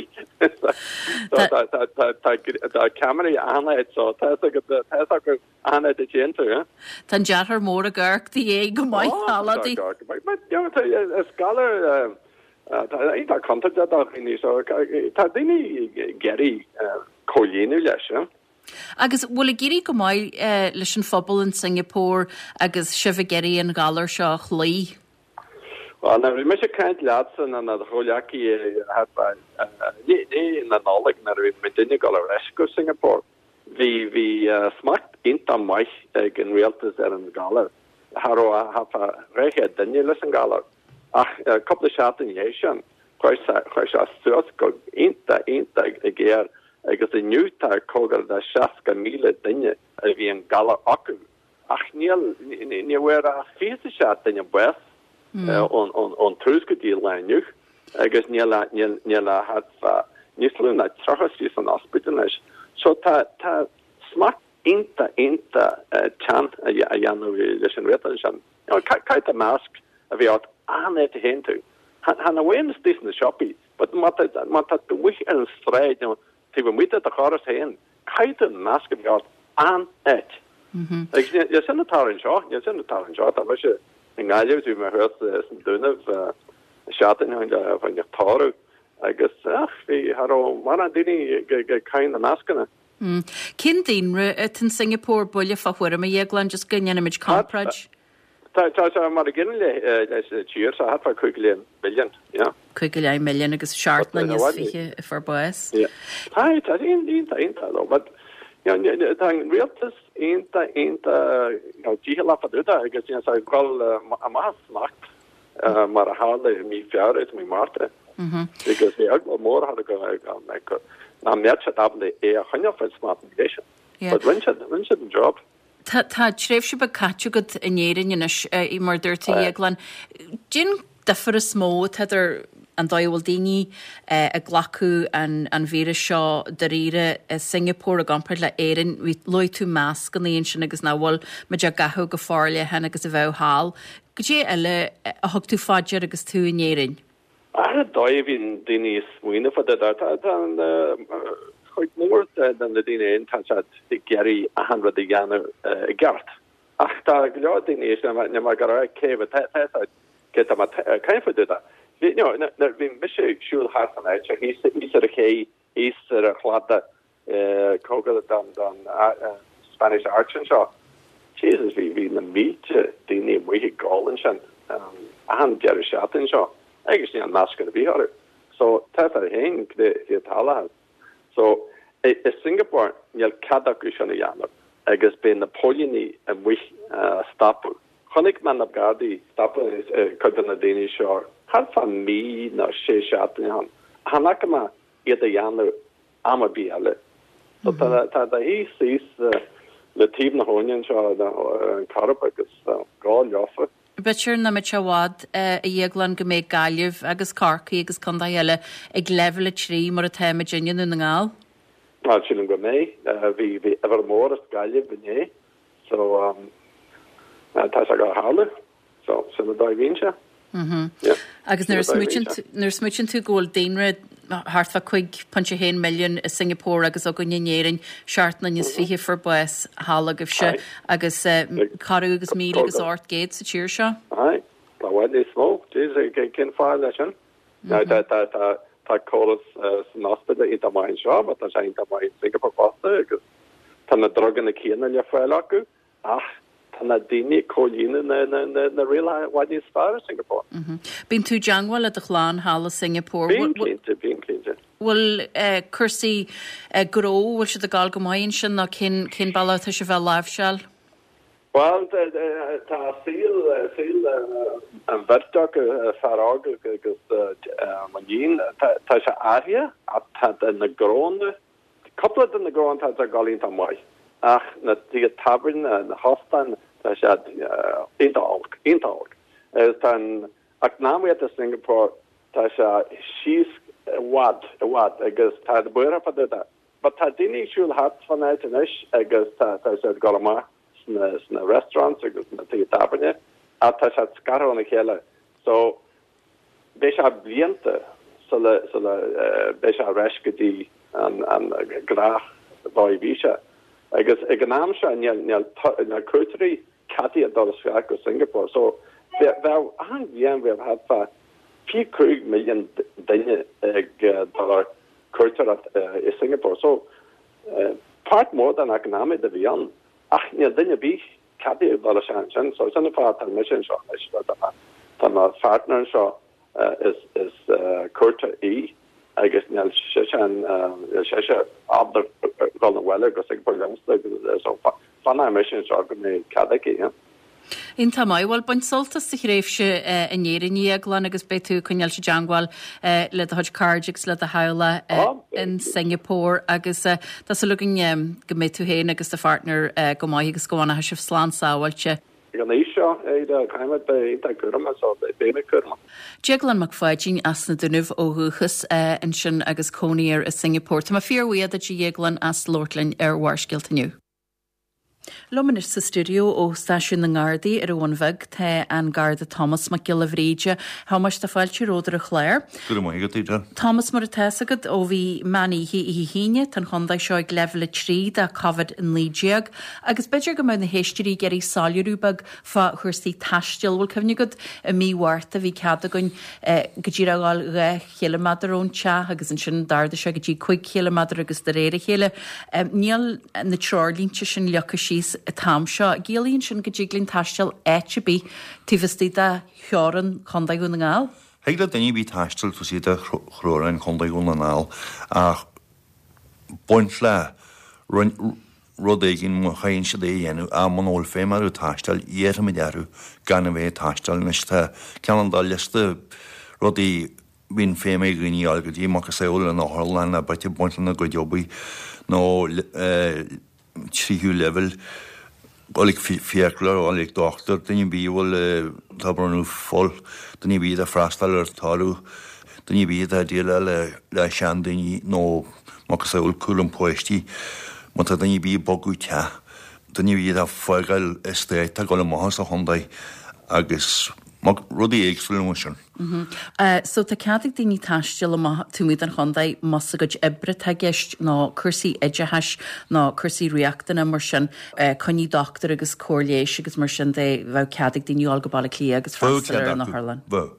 Tá ceamaraí achan áit so tá fhios agat, tá fhios acu achan áit a dtéann tú, eh? Tá an deartháir mór ag amharc do dhiaidh go maith, Ó, a leaidí. tá, tá, but, you know, tá, is galar, tá iontach contúirteach do dhaoine so tá daoine ag iarraidh comhlíonadh leis, eh? Agus bhfuil ag éirí go maith leis an phobal in Singapore agus sibh ag iarraidh an galar seo a chloí? Bhuel, nuair a bhí mise ag caint leatsa nó do chomhghleacaí thart fá i ndiaidh na Nollag nuair a bhí muidinne ag dul ar ais go Singapore, bhí bhí smacht iontach maith ag an rialtas ar an ghalar. Cha raibh ach thart fá dhá chéad duine leis an ghalar. Ach cúpla seachtain ina dhiaidh sin, chuaigh sé chuaigh sé suas go iontach iontach géar agus inniu tá cóngar do seasca míle duine a bhí an galar acu. Ach níl, ní bhfuair ach fiche is a seacht duine bás ón tús go dtí an lá inniu agus níl ach, níl, níl ach thart fá níos lú ná tríocha istigh san ospidéal anois. So tá, tá smacht iontach, iontach teann á dhéanamh leis an rialtas ansin. You know, caithfidh tú masc a bheith ort achan áit a théann tú. Chan amháin istigh sna siopaí, but má tá, má tá tú amuigh ar an stráid nó taobh amuigh de do dhoras féin, caithfidh tú an masc a bheith ort achan áit. Agus níl sin ag tarlú anseo, níl sin ag tarlú anseo, tá mise i nGaillimh, bhí mé thuas sna Dúnaibh seachtain ó shin le fá choinne tórramh agus ach bhí, cha raibh mórán daoine ag caitheamh na mascanna. Cén daonra atá in Singapore, buille fá thuairim, a Dhéagláin, just go ndéanfaimid comparáid? Tá sé mar an gcéanna leis an tír, so thart fá cúig go leith milliún, yeah. Cúig go leith milliún agus seacht nduine is fiche a fuair bás. Yeah. Tá, tá sé iontach, iontach though, but you know, tá an rialtas iontach, iontach, you know, dícheallach fá dtaobh de agus you know, tá ag dul amach as smacht mar a tharla i mí Feabhra is mí Márta. Agus bhí eagla mór thar go go nach mbeadh siad ábalta é a choinneáil faoi smacht an gcéad sin. But rinne siad, rinne siad an job. Tá tá tréimhse beag caite agat in Éirinn anois, mar a dúirt tú, a Dhéagláin. Cén difear is mó atá idir an dóigh a bhfuil daoine ag glacadh an an víreas seo dáiríre i Singapore i gcomparáid le Éirinn? Bhí luaigh tú mascanna ansin agus nach bhfuil muid á gcaitheamh go forleathan agus a bheadh thall. Goidé eile a thug tú fá dear agus tú in Éirinn? Ar an dóigh a bhíonn daoine ag smaoineamh fá dtaobh de, tá tá an chuid mhór de na daoine in tá siad ag iarraidh achan rud a dhéanamh i gceart. Ach tá go leor daoine is níl mé ag rá cé tá tá tá cé tá mé ag caint fá dtaobh de. Bhí you know nuair bhí mise ag siúl thart an áit seo thíos thíos ar an ché thíos ar an chladach cóngar don don Spanish Arch anseo. Jesus bhí bhí na mílte daoine amuigh ag gabháil ansin achan deireadh seachtaine seo agus níl masc ar bith orthu. So tá a fhios agat féin cad é atá tarlaithe. So i i Singapore níl cead acu sin a dhéanamh agus beidh na póilíní amuigh á stopadh. Chonaic mé na Gardaí stopadh cuid de na daoine seo thart fá mí nó sé seachtaine ó shin. Chan fhaca mé iad a dhéanamh am ar bith eile. So tá tá do shuí síos le taobh na habhna anseo an Coirib agus gabháil leofa. B'fhéidir nach mbeidh sé i bhfad, a Dhéagláin, go mbeidh Gaillimh agus Corcaigh agus contaetha eile ag leibhéal a trí mar atá muid i nDún na nGall. Bhuel, sílim go mbeidh. Bhí bhí uimhir mór as Gaillimh inné so tá sé ag tarlú. So sin an dóigh a bhíonn sé. Yeah. Agus nuair a smaoitíonn tú nuair a smaoitíonn tú go bhfuil daonra thart fá cúig pointe a haon milliún i Singapore agus againn in Éirinn seacht nduine is fiche a fuair bás thall agaibhse agus corradh agus míle agus ocht gcéad sa tír seo. Aye. Tá i bhfad níos mó. Jeez, cén fáth leis sin? Now tá tá tá tá córas san ospidéal iontach maith anseo, but tá sé iontach maith in Singapore fosta agus tá na druganna céanna le fáil acu ach tá na daoine ag comhlíonadh na na na na rialacha i bhfad níos fearr i Singapore. Bíonn tú i dteangmháil le do chlann thall i Singapore. Bíonn cinnte, bíonn cinnte. Bhfuil cúrsaí gnó, bhfuil siad ag gabháil go maith ansin nó cén cén bealach atá sibh á láimhseáil? Bhuel, tá saol saol an bheirt acu, fear óg agus m'iníon, tá sé athraithe ach tá na gnónna, cúpla de na gnónna tá ag dul iontach maith ach na tithe tábhairne, na hóstáin, tá siad iontach olc, iontach olc. Agus tá an eacnamaíocht i Singapore, tá sé síos i bhfad, i bhfad agus tá buartha fá dtaobh de. But tá daoine ag siúl thart fán áit anois agus tá siad ag dul amach. sna sna restaurants agus na tithe tábhairne ach tá siad scartha óna chéile so beidh sé blianta sula sula beidh sé ar ais go dtí an an gnách dóigh a bhí sé agus ag an am seo níl níl níl cuairteoirí ceadaithe dul isteach go Singapore so bheadh achan bhliain bheadh thart fá fiche cúig milliún duine ag dul ar cuairteoireacht i Singapore so páirt mór den eacnamaíocht a bhí ann. Ach níl duine ar bith ceadaithe dul isteach ansin, so sin an fáth atá mise anseo anois, tá mo pháirtneir anseo, is is cuairteoir í agus níl sise níl sise ábalta dul abhaile go Singapore liomsa so fanfaidh mise anseo go mbeidh cead aici, yeah. Iontach maith. Bhuel, bain sult as do thréimhse in Éirinn, a Dhéagláin, agus beidh tú ag coinneáil i dteangmháil le do chuid cairde agus le do theaghlach in Singapore agus tá súil againn go mbeidh tú féin agus do pháirtneir go maith agus go bhfanfaidh sibh slán sábháilte. Ag an aois seo, caithfidh mé bheith iontach cúramach so beidh mé cúramach. Déaglán Mac Pháidín as na Dúnaibh ó dhúchas ansin agus cónaí air i Singapore. Tá mé fíorbhuíoch duit, a Dhéagláin, as labhairt linn ar Bharrscéalta inniu. Liom anois sa stiúideo ó Stáisiún na nGardaí ar an Bhun Bheag tá an Garda Thomas Mac Giolla Bhríde. A Thomáis, tá fáilte romhat ar an chlár. Go raibh maith agat, Edel. Thomas, mar atá fhios agat, ó bhí meán oíche oíche hAoine, tá an chontae seo ag leibhéal a trí de Covid a naoi déag agus b'fhéidir go mbeadh na héisteoirí ag iarraidh soiléiriú beag fá chúrsaí taistil. Bhfuil cuimhne agat i mí Mhárta bhí cead againn go díreach a ghabháil dhá chiliméadar ón teach agus ansin d'ardaigh sé go dtí cúig chiliméadar agus de réir a chéile níl na treoirlínte sin leagtha síos an t-am seo. Ciallaíonn sin go dtig linn taisteal áit ar bith taobh istigh de theorainn Chontae Dhún na nGall? Thig le duine ar bith taisteal taobh istigh de theorainn Chontae Dhún na nGall ach baint le rud éigin má chaitheann siad é a dhéanamh ach muna bhfuil feidhm orthu taisteal, iarrfaimid orthu gan a bheith ag taisteal. Anois tá cineál de liosta rudaí a bhíonn feidhm ag dhaoine a fháil go dtí macasamhail an otharlann a b'fhéidir baint lena gcuid oibre nó tríú leibhéal, dul ag fiaclóir, dul ag dochtúir, duine ar bith a bhfuil atá ag bronnadh fuil, duine ar bith atá ag freastal ar tórramh, duine ar bith atá ag déileáil le seandaoine nó macasamhail cúram páistí, má tá duine ar bith ag bogadh teach, duine ar bith atá ag fágáil eastát, atá ag dul amach as an chontae agus rudaí éagsúla mar sin. So tá cead ag daoine taisteal amach taobh amuigh den chontae más a gcuid oibre atá i gceist nó cúrsaí oideachais nó cúrsaí riachtana mar sin, coinní dochtúir agus cóir leighis agus mar sin de, bheadh cead ag daoine dul go Baile Átha Cliath agus Bheadh freastal cead ar an acu, otharlann. bheadh.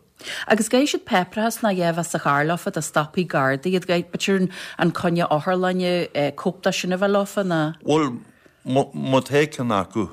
Agus an gcaithfidh siad páipéarachas nó a dhath a bheith sa charr leofa dá stopfaidh Gardaí iad, b'fhéidir an coinne otharlainne, cóip de sin a bheith leofa nó? Bhuel, má tá ceann acu,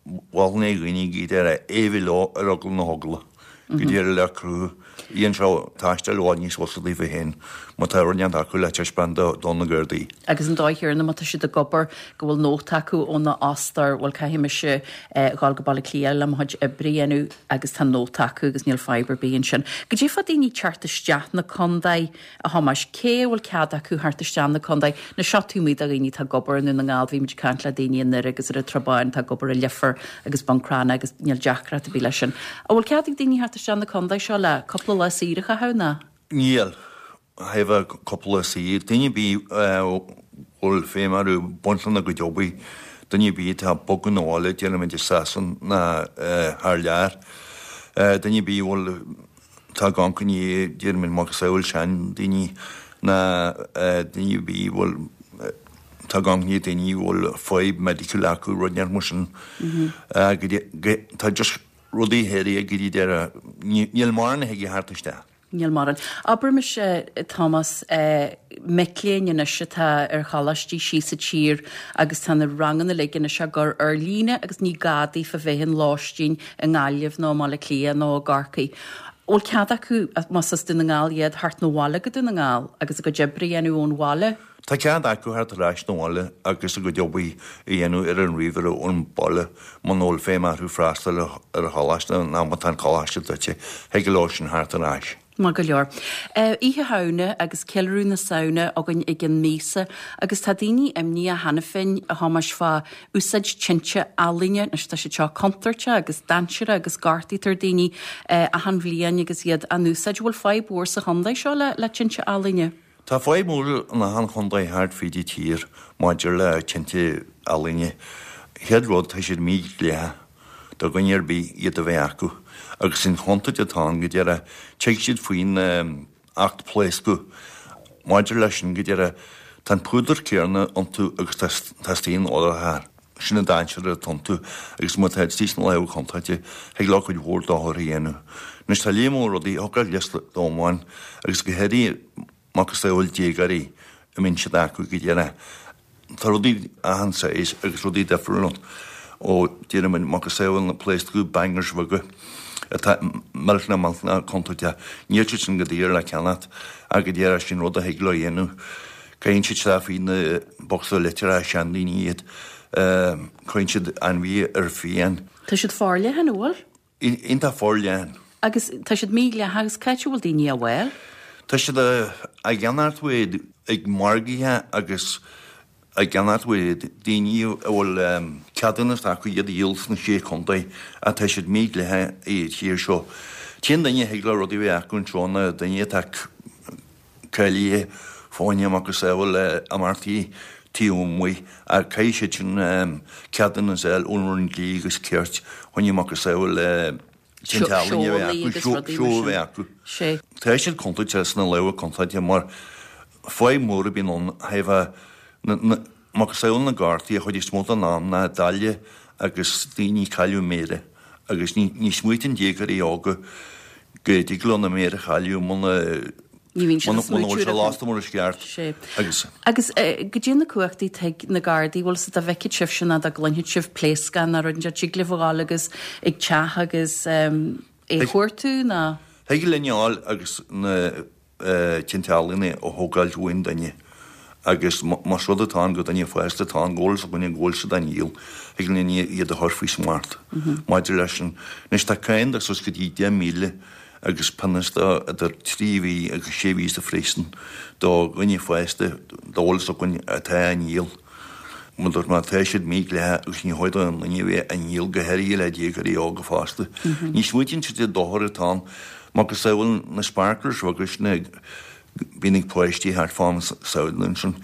Mholfainn do dhaoine go díreach é a bheith leo ar eagla na heagla, go díreach le cruthú. Dhéan sé taisteal i bhfad níos fusa daofa féin má tá rud inteacht acu le taispeáint do na Gardaí. Agus an dóigh chéanna má tá siad ag obair go bhfuil nóta acu óna fhostóir, bhuel caithfidh mise dhul go Baile Átha Cliath le mo chuid oibre a dhéanamh agus tá nóta acu agus níl fadhb ar bith ansin. Goidé fá daoine teacht isteach na contae A Thomáis, cé a bhfuil cead acu theacht isteach na contae? Anois seo taobh amuigh de dhaoine atá ag obair i nDún na nGall, bhí muid ag caint le daoine i nDoire agus ar an Tsrath Báin atá ag obair i Leifear agus Bun Cranncha agus níl deacracht ar bith leis sin. An bhfuil cead ag daoine theacht isteach na contae seo le cúpla lá saoire a chaitheamh ná? Níl. Thaobh cúpla lá saoire, duine ar bith a bhfuil feidhm orthu baint lena gcuid oibre, duine ar bith atá ag bogadh 'na bhaile, déarfaimid i Sasana ná thar lear, duine ar bith a bhfuil Tá gan coinne, déarfaimid macasamhail seandaoine ná daoine ar bith a bhfuil, tá gan coinne daoine a bhfuil fadhb medical acu, rud inteacht mar sin. Tá just rudaí áirithe go dtí deireadh, níl mórán a thig a theacht isteach. Níl mórán. Abraimis, Tomás, mic léinn anois atá ar choláistí síos sa tír agus tá na ranganna uilig anois á gcur ar líne agus ní gá daofa bheith in lóistín i nGaillimh nó i mBaile Átha Cliath nó i gCorcaigh. Bhfuil cead acu, más as Dún na nGall iad, theacht 'na bhaile go Dún na nGall agus a gcuid oibre a dhéanamh ón bhaile? Tá cead acu theacht ar ais 'na bhaile agus a gcuid obair a dhéanamh ar an ríomhaire ón baile muna bhfuil feidhm orthu freastal ar an choláiste nó má tá an coláiste druidte, thig leo sin theacht ar ais. Maith go leor. Oíche Shamhna agus ceiliúradh na Samhna againn i gcionn míosa agus tá daoine imníoch cheana féin, a Thomáis, fá úsáid tinte ealaíne. Anois tá siad seo contúirteach agus dainséarach agus gortaítear daoine achan bhliain agus iad á n-úsáid. Bhfuil fadhb mhór sa chontae seo le tinte ealaíne? Tá fadhb mhór in achan chontae thart fríd an tír maidir le tinte ealaíne. Chéad rud, tá siad mídhleathach do dhuine ar bith iad a bheith acu agus an chontúirt atá ann go díreach, tig siad faoin Acht Pléascadh. Maidir leis sin go díreach, tá an púdar céanna iontu agus tá stain odortha. Sin an dainséar atá iontu agus má tá istigh sna lámha contúirte, thig leo cuid mhór dochair a dhéanamh. Anois tá léar mór rudaí, thiocfadh liosta dom amháin agus go háirithe macasamhail déagóirí a mbíonn siad acu go díreach. Tá rudaí achan saghas agus rudaí difriúil ann, ó déarfaidh muid macasamhail na pléascadh bangers bheaga atá millteanach millteanach contúirteach. Níl siad sin go daor le ceannacht ach go díreach sin rud a thig leo a dhéanamh. Caitheann siad isteach faoi na bocsa litreacha seandaoine iad. Cuireann siad ainmhithe ar fiáin. Tá siad forleathan, an bhfuil? Iontach forleathan. Agus tá siad mídhleathach agus cá háit a bhfuil daoine á bhfáil? Tá siad á gceannacht uaidh ag margaithe agus á gceannacht uaidh daoine a bhfuil ceadúnas acu iad a dhíol sna Sé Chontae ach tá siad mídhleathach i tír seo. T-aon duine a thig leo rudaí a bheith acu anseo ná duine atá cáilithe fá choinne macasamhail imeachtaí taobh amuigh ach caithfidh siad sin ceadúnas a fháil ón Roinn Dlí agus Cirt fá choinne macasamhail tinte ealaíne a bheith acu, seó a bheith acu. Tá siad contúirteach sna lámha contúirteach mar fadhb mhór a bhíonn ann thaobh macasamhail na gcártaí an chuid is mó den am ná daille agus daoine ag cailleadh méire agus ní smaoitíonn déagóirí óga go dtig leo na méara a chailleadh muna Ní bhíonn siad ag muna smaoitiú bhfuil sé ar lasta mar is ceart Sé. agus. Agus goidé na cumhachtaí atá ag na Gardaí, bhfuil 's dá bhfeicfeadh sibhse ná dá gcluinfeadh sibh pléascán ná rud inteacht, dtig libh a ghabháil agus ag teach agus é a chuartú ná? Thig linn a ghabháil agus na tinte ealaíne a thógáilt uain duine agus más rud atá ann go duine fásta atá ann go bhfuil 's againne go bhfuil siad á ndíol, thig linn iad a chur faoi smacht maidir leis sin. Anois tá cáin de suas go dtí deich míle agus pionós de idir trí mhí agus sé mhí sa phríosún do dhuine fásta dá bhfuil 's againn atá á ndíol. Mar dúirt mé, tá siad mídhleathach agus ní chóir d'aon duine a bheith á ndíol, go háirithe le déagóirí óga fosta. Ní smaoitíonn siad ar an dochar atá ann. Macasamhail na sparklers bheaga sin a bhíonn ag páistí thart fá am Samhna ansin.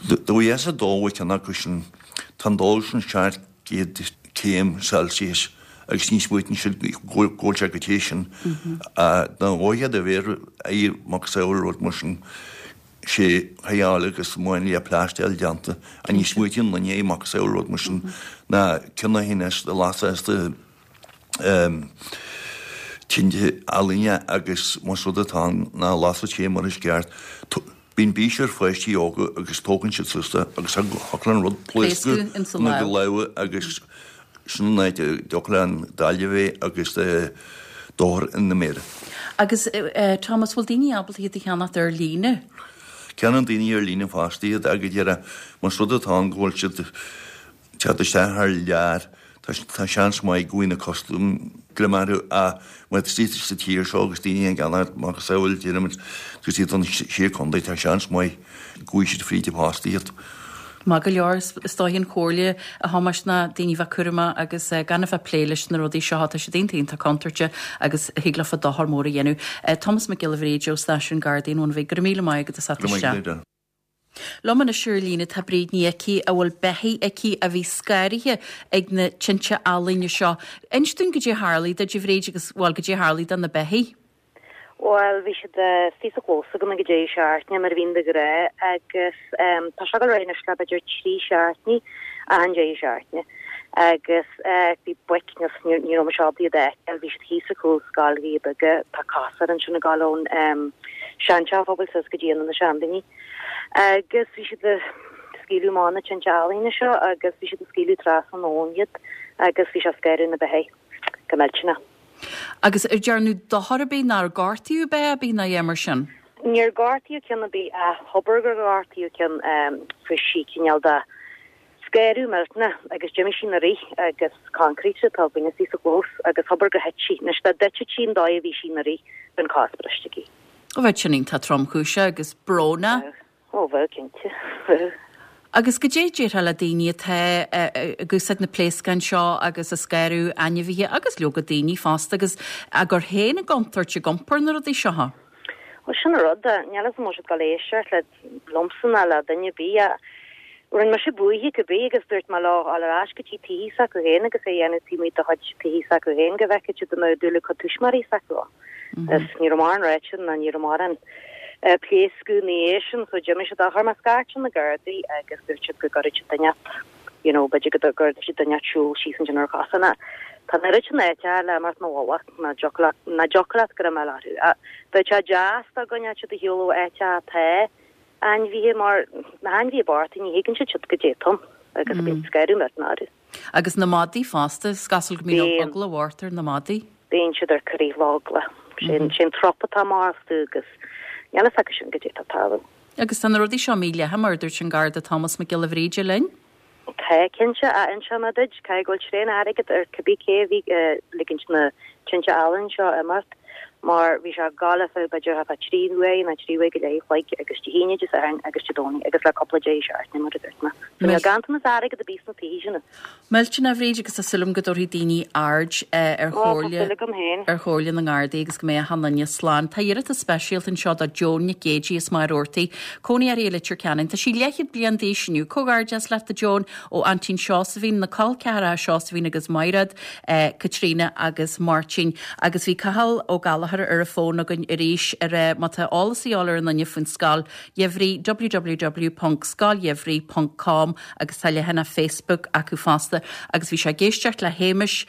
Dá bhfaighfeása dó uait ceann acu sin, tá an dó sin seacht gcéad céim Celsius agus ní smaoitíonn siad go bhfuil sé go te sin. Dá bhfaighfeá do mhéar ar macasamhail rud mar sin, sé thigheáil agus máinlia plaisteáil déanta ach ní smaoitíonn duine ar macasamhail rud mar sin ná ceann a haon as lasadh as do tinte ealaíne agus más rud atá ann ná lasadh sé mar is ceart. Bíonn bís ar pháistí óga agus tógann siad suas é agus thiocfadh le an rud pléascadh ina lámha agus sin an áit a dtiocfadh le an daille a bheith agus dochar ina méara. Agus Thomas, bhfuil daoine ábalta iad a cheannacht ar líne? Ceannaíonn daoine ar líne fosta iad agus dhera más rud atá ann go bhfuil siad teacht isteach thar lear, tá seans maith go bhfaighidh na custaim greim orthu ach má tá siad sa tír seo agus daoine ag ceannacht macasamhail déarfaimid agus iad an sé contae tá seans maith go bhfaighidh siad fríd an bpost iad. Maith go leor, is dóigh an chomhairle a Thomáis ná daoine bheith cúramach agus gan a bheith ag plé leis na rudaí seo, tá siad iontach iontach contúirteach agus thig leofa dochar mór a dhéanamh. Tomás Mac Giolla Bhríde ó Stáisiún Gardaí an Bhuna Bhig, go raibh míle maith agat as theacht Go raibh maith isteach. agat Edel. Liom anois ar líne tá Bríd Ní Icí a bhfuil beithígh aici a bhí scanraithe ag na tinte ealaíne seo. Inis dúinn goidé a tharlaigh duit a Bhríd agus, bhuel, goidé a tharlaigh do na beithígh. Bhuel, bhí siad istigh sa chlós agam ag an deireadh seachtaine, mar a bhíonn de ghnáth, agus tá seo ag dul ar aghaidh anois le b'fhéidir trí seachtainí, achan deireadh seachtaine. Agus bhí boic, ní raibh mise ábalta iad a fheiceáil, bhí siad thíos ar chúl Scoil Ghaoth Beaga, tá cosán ansin ag dul ón seanteach an phobail suas go dtí ionad na seandaoine. Agus bhí siad ag scaoileadh amach na tinte ealaíne seo agus bhí siad ag scaoileadh trasna an abhainn iad agus bhí sé ag scanradh na beithígh go millteanach. Agus ar dearnadh dochar ar bith nó ar gortaíodh beith ar bith ná a dhath mar sin? Níor gortaíodh ceann ar bith ach abair gur gortaíodh ceann, fuair sí cineál de scanradh millteanach agus d'imigh sí 'na rith agus concrete atá againn istigh sa chlós agus abair gur thit sí. Anois dá dtitfeadh sí an dóigh a bhí sí 'na rith, bheadh an cos briste aici. Ó bheadh sin iontach tromchúiseach agus brónach. Bheadh. Ó bheadh, cinnte. Bheadh. Agus goidé a déarfá le daoine atá ag úsáid na pléascáin seo agus ag scanradh ainmhithe agus leoga daoine fosta agus á gcur féin i gcontúirt ag iompar na rudaí seo? Bhuel, sin an rud. Níl a fhios agam an bhfuil siad ag dul éisteacht le liomsa ná le duine ar bith. Rinne mise buartha cibé agus dúirt mé leo dul ar ais go dtí tithe s'acu féin agus é a dhéanamh taobh amuigh de chuid tithe s'acu féin go bhfeicfeadh siad an mbeadh dúil ag cuid tuismitheoirí s'acu ann. Is ní raibh mórán ráite ná ní raibh mórán pléascadh ina dhiaidh sin so d'imigh siad. Chuir mé scairt ar na Gardaí agus dúirt siad go gcuirfeadh siad duine you know b'fhéidir go gcuirfeadh siad duine siúl síos ansin ar chosán. Tá an oiread sin áiteacha le imeacht 'na mhullach ná dtiocfadh leat go raibh mé orthu. Bheadh sé deas dá gcoinneodh siad ar shiúl ó áiteacha atá ainmhithe mar na hainmhithe bochta ní thuigeann siad siad goidé atá ann agus bíonn scanradh millteanach orthu. Agus na madaí fosta, is cosúil go mbíonn eagla mhór ar na madaí. Bíonn siad ar crith le heagla. Sin sin trup atá amach astu agus níl a fhios acu sin goidé atá ag tarlú. Agus tá na rudaí seo mídhleathach mar a dúirt an Garda Thomas Mac Giolla Bhríde linn. Tá, cinnte, a inseoidh mé duit, caithfidh go bhfuil tréan airgead ar cibé cé a bhí ag ligint na tinte ealaíne seo imeacht, mar bhí sé ag gabháil ar feadh b'fhéidir thart fá trí huaire nó trí huaire go leith a chloig agus Dé hAoine, Dé Sathairn agus Dé Domhnaigh agus le cúpla deireadh seachtaine mar a dúirt mé. So níl ganntanas airgead ar bith sna tithe sin. Millteanach a Bhríd agus tá súil agam go dtabharfaidh daoine aird ar chomhairle Tá súil agam féin. ar chomhairle na nGardaí agus go mbeidh achan duine slán. Tá iarratas speisialta anseo do Joan Nic Géidigh as Machaire Rabhartaigh, cónaí uirthi i Leitir Ceanainn. Tá sí leathchéad bliain d'aois inniu. Comhghairdeas leat a Joan ó aintín Seosaimhín, na col ceathracha Seosaimhín agus Maighread, Caitríona agus Máirtín. Agus bhí Cathal Ó Gallchóir ar an bhfón againn arís ar má tá eolas a dhíobháil ar an duine faoin scoil gheimhridh www ponc scoilgheimhridh ponc com agus tá leathanach Facebook acu fosta agus bhí sé ag éisteacht le Hamish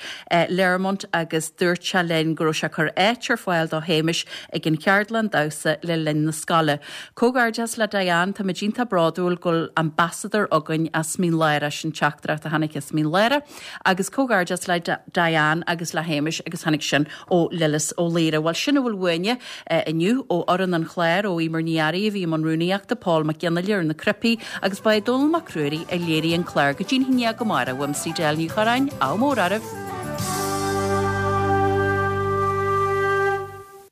Learmont agus dúirt sé linn go raibh sé ag cur áit ar fáil do Hamish ag an cheardlann damhsa le linn na scoile. Comhghairdeas le Diane, táimid iontach bródúil go bhfuil ambasadóir againn as Mín Lárach, sin teachtaireacht a tháinig as Mín Lárach, agus comhghairdeas le Diane agus le Hamish agus tháinig sin ó Lillis Ó Laoire. Bhuel sin a bhfuil uainne inniu ó fhoireann an chláir, ó Emer Ní Fhearraigh a bhí i mbun rúnaíochta, Paul Mac Fhionnghaile ar na cnaipí agus ba é Dónall Mac Ruairí a léirigh an clár. Go dtí an haon dhéag amárach, uaimse Edel Ní Chorráin, ádh mór oraibh!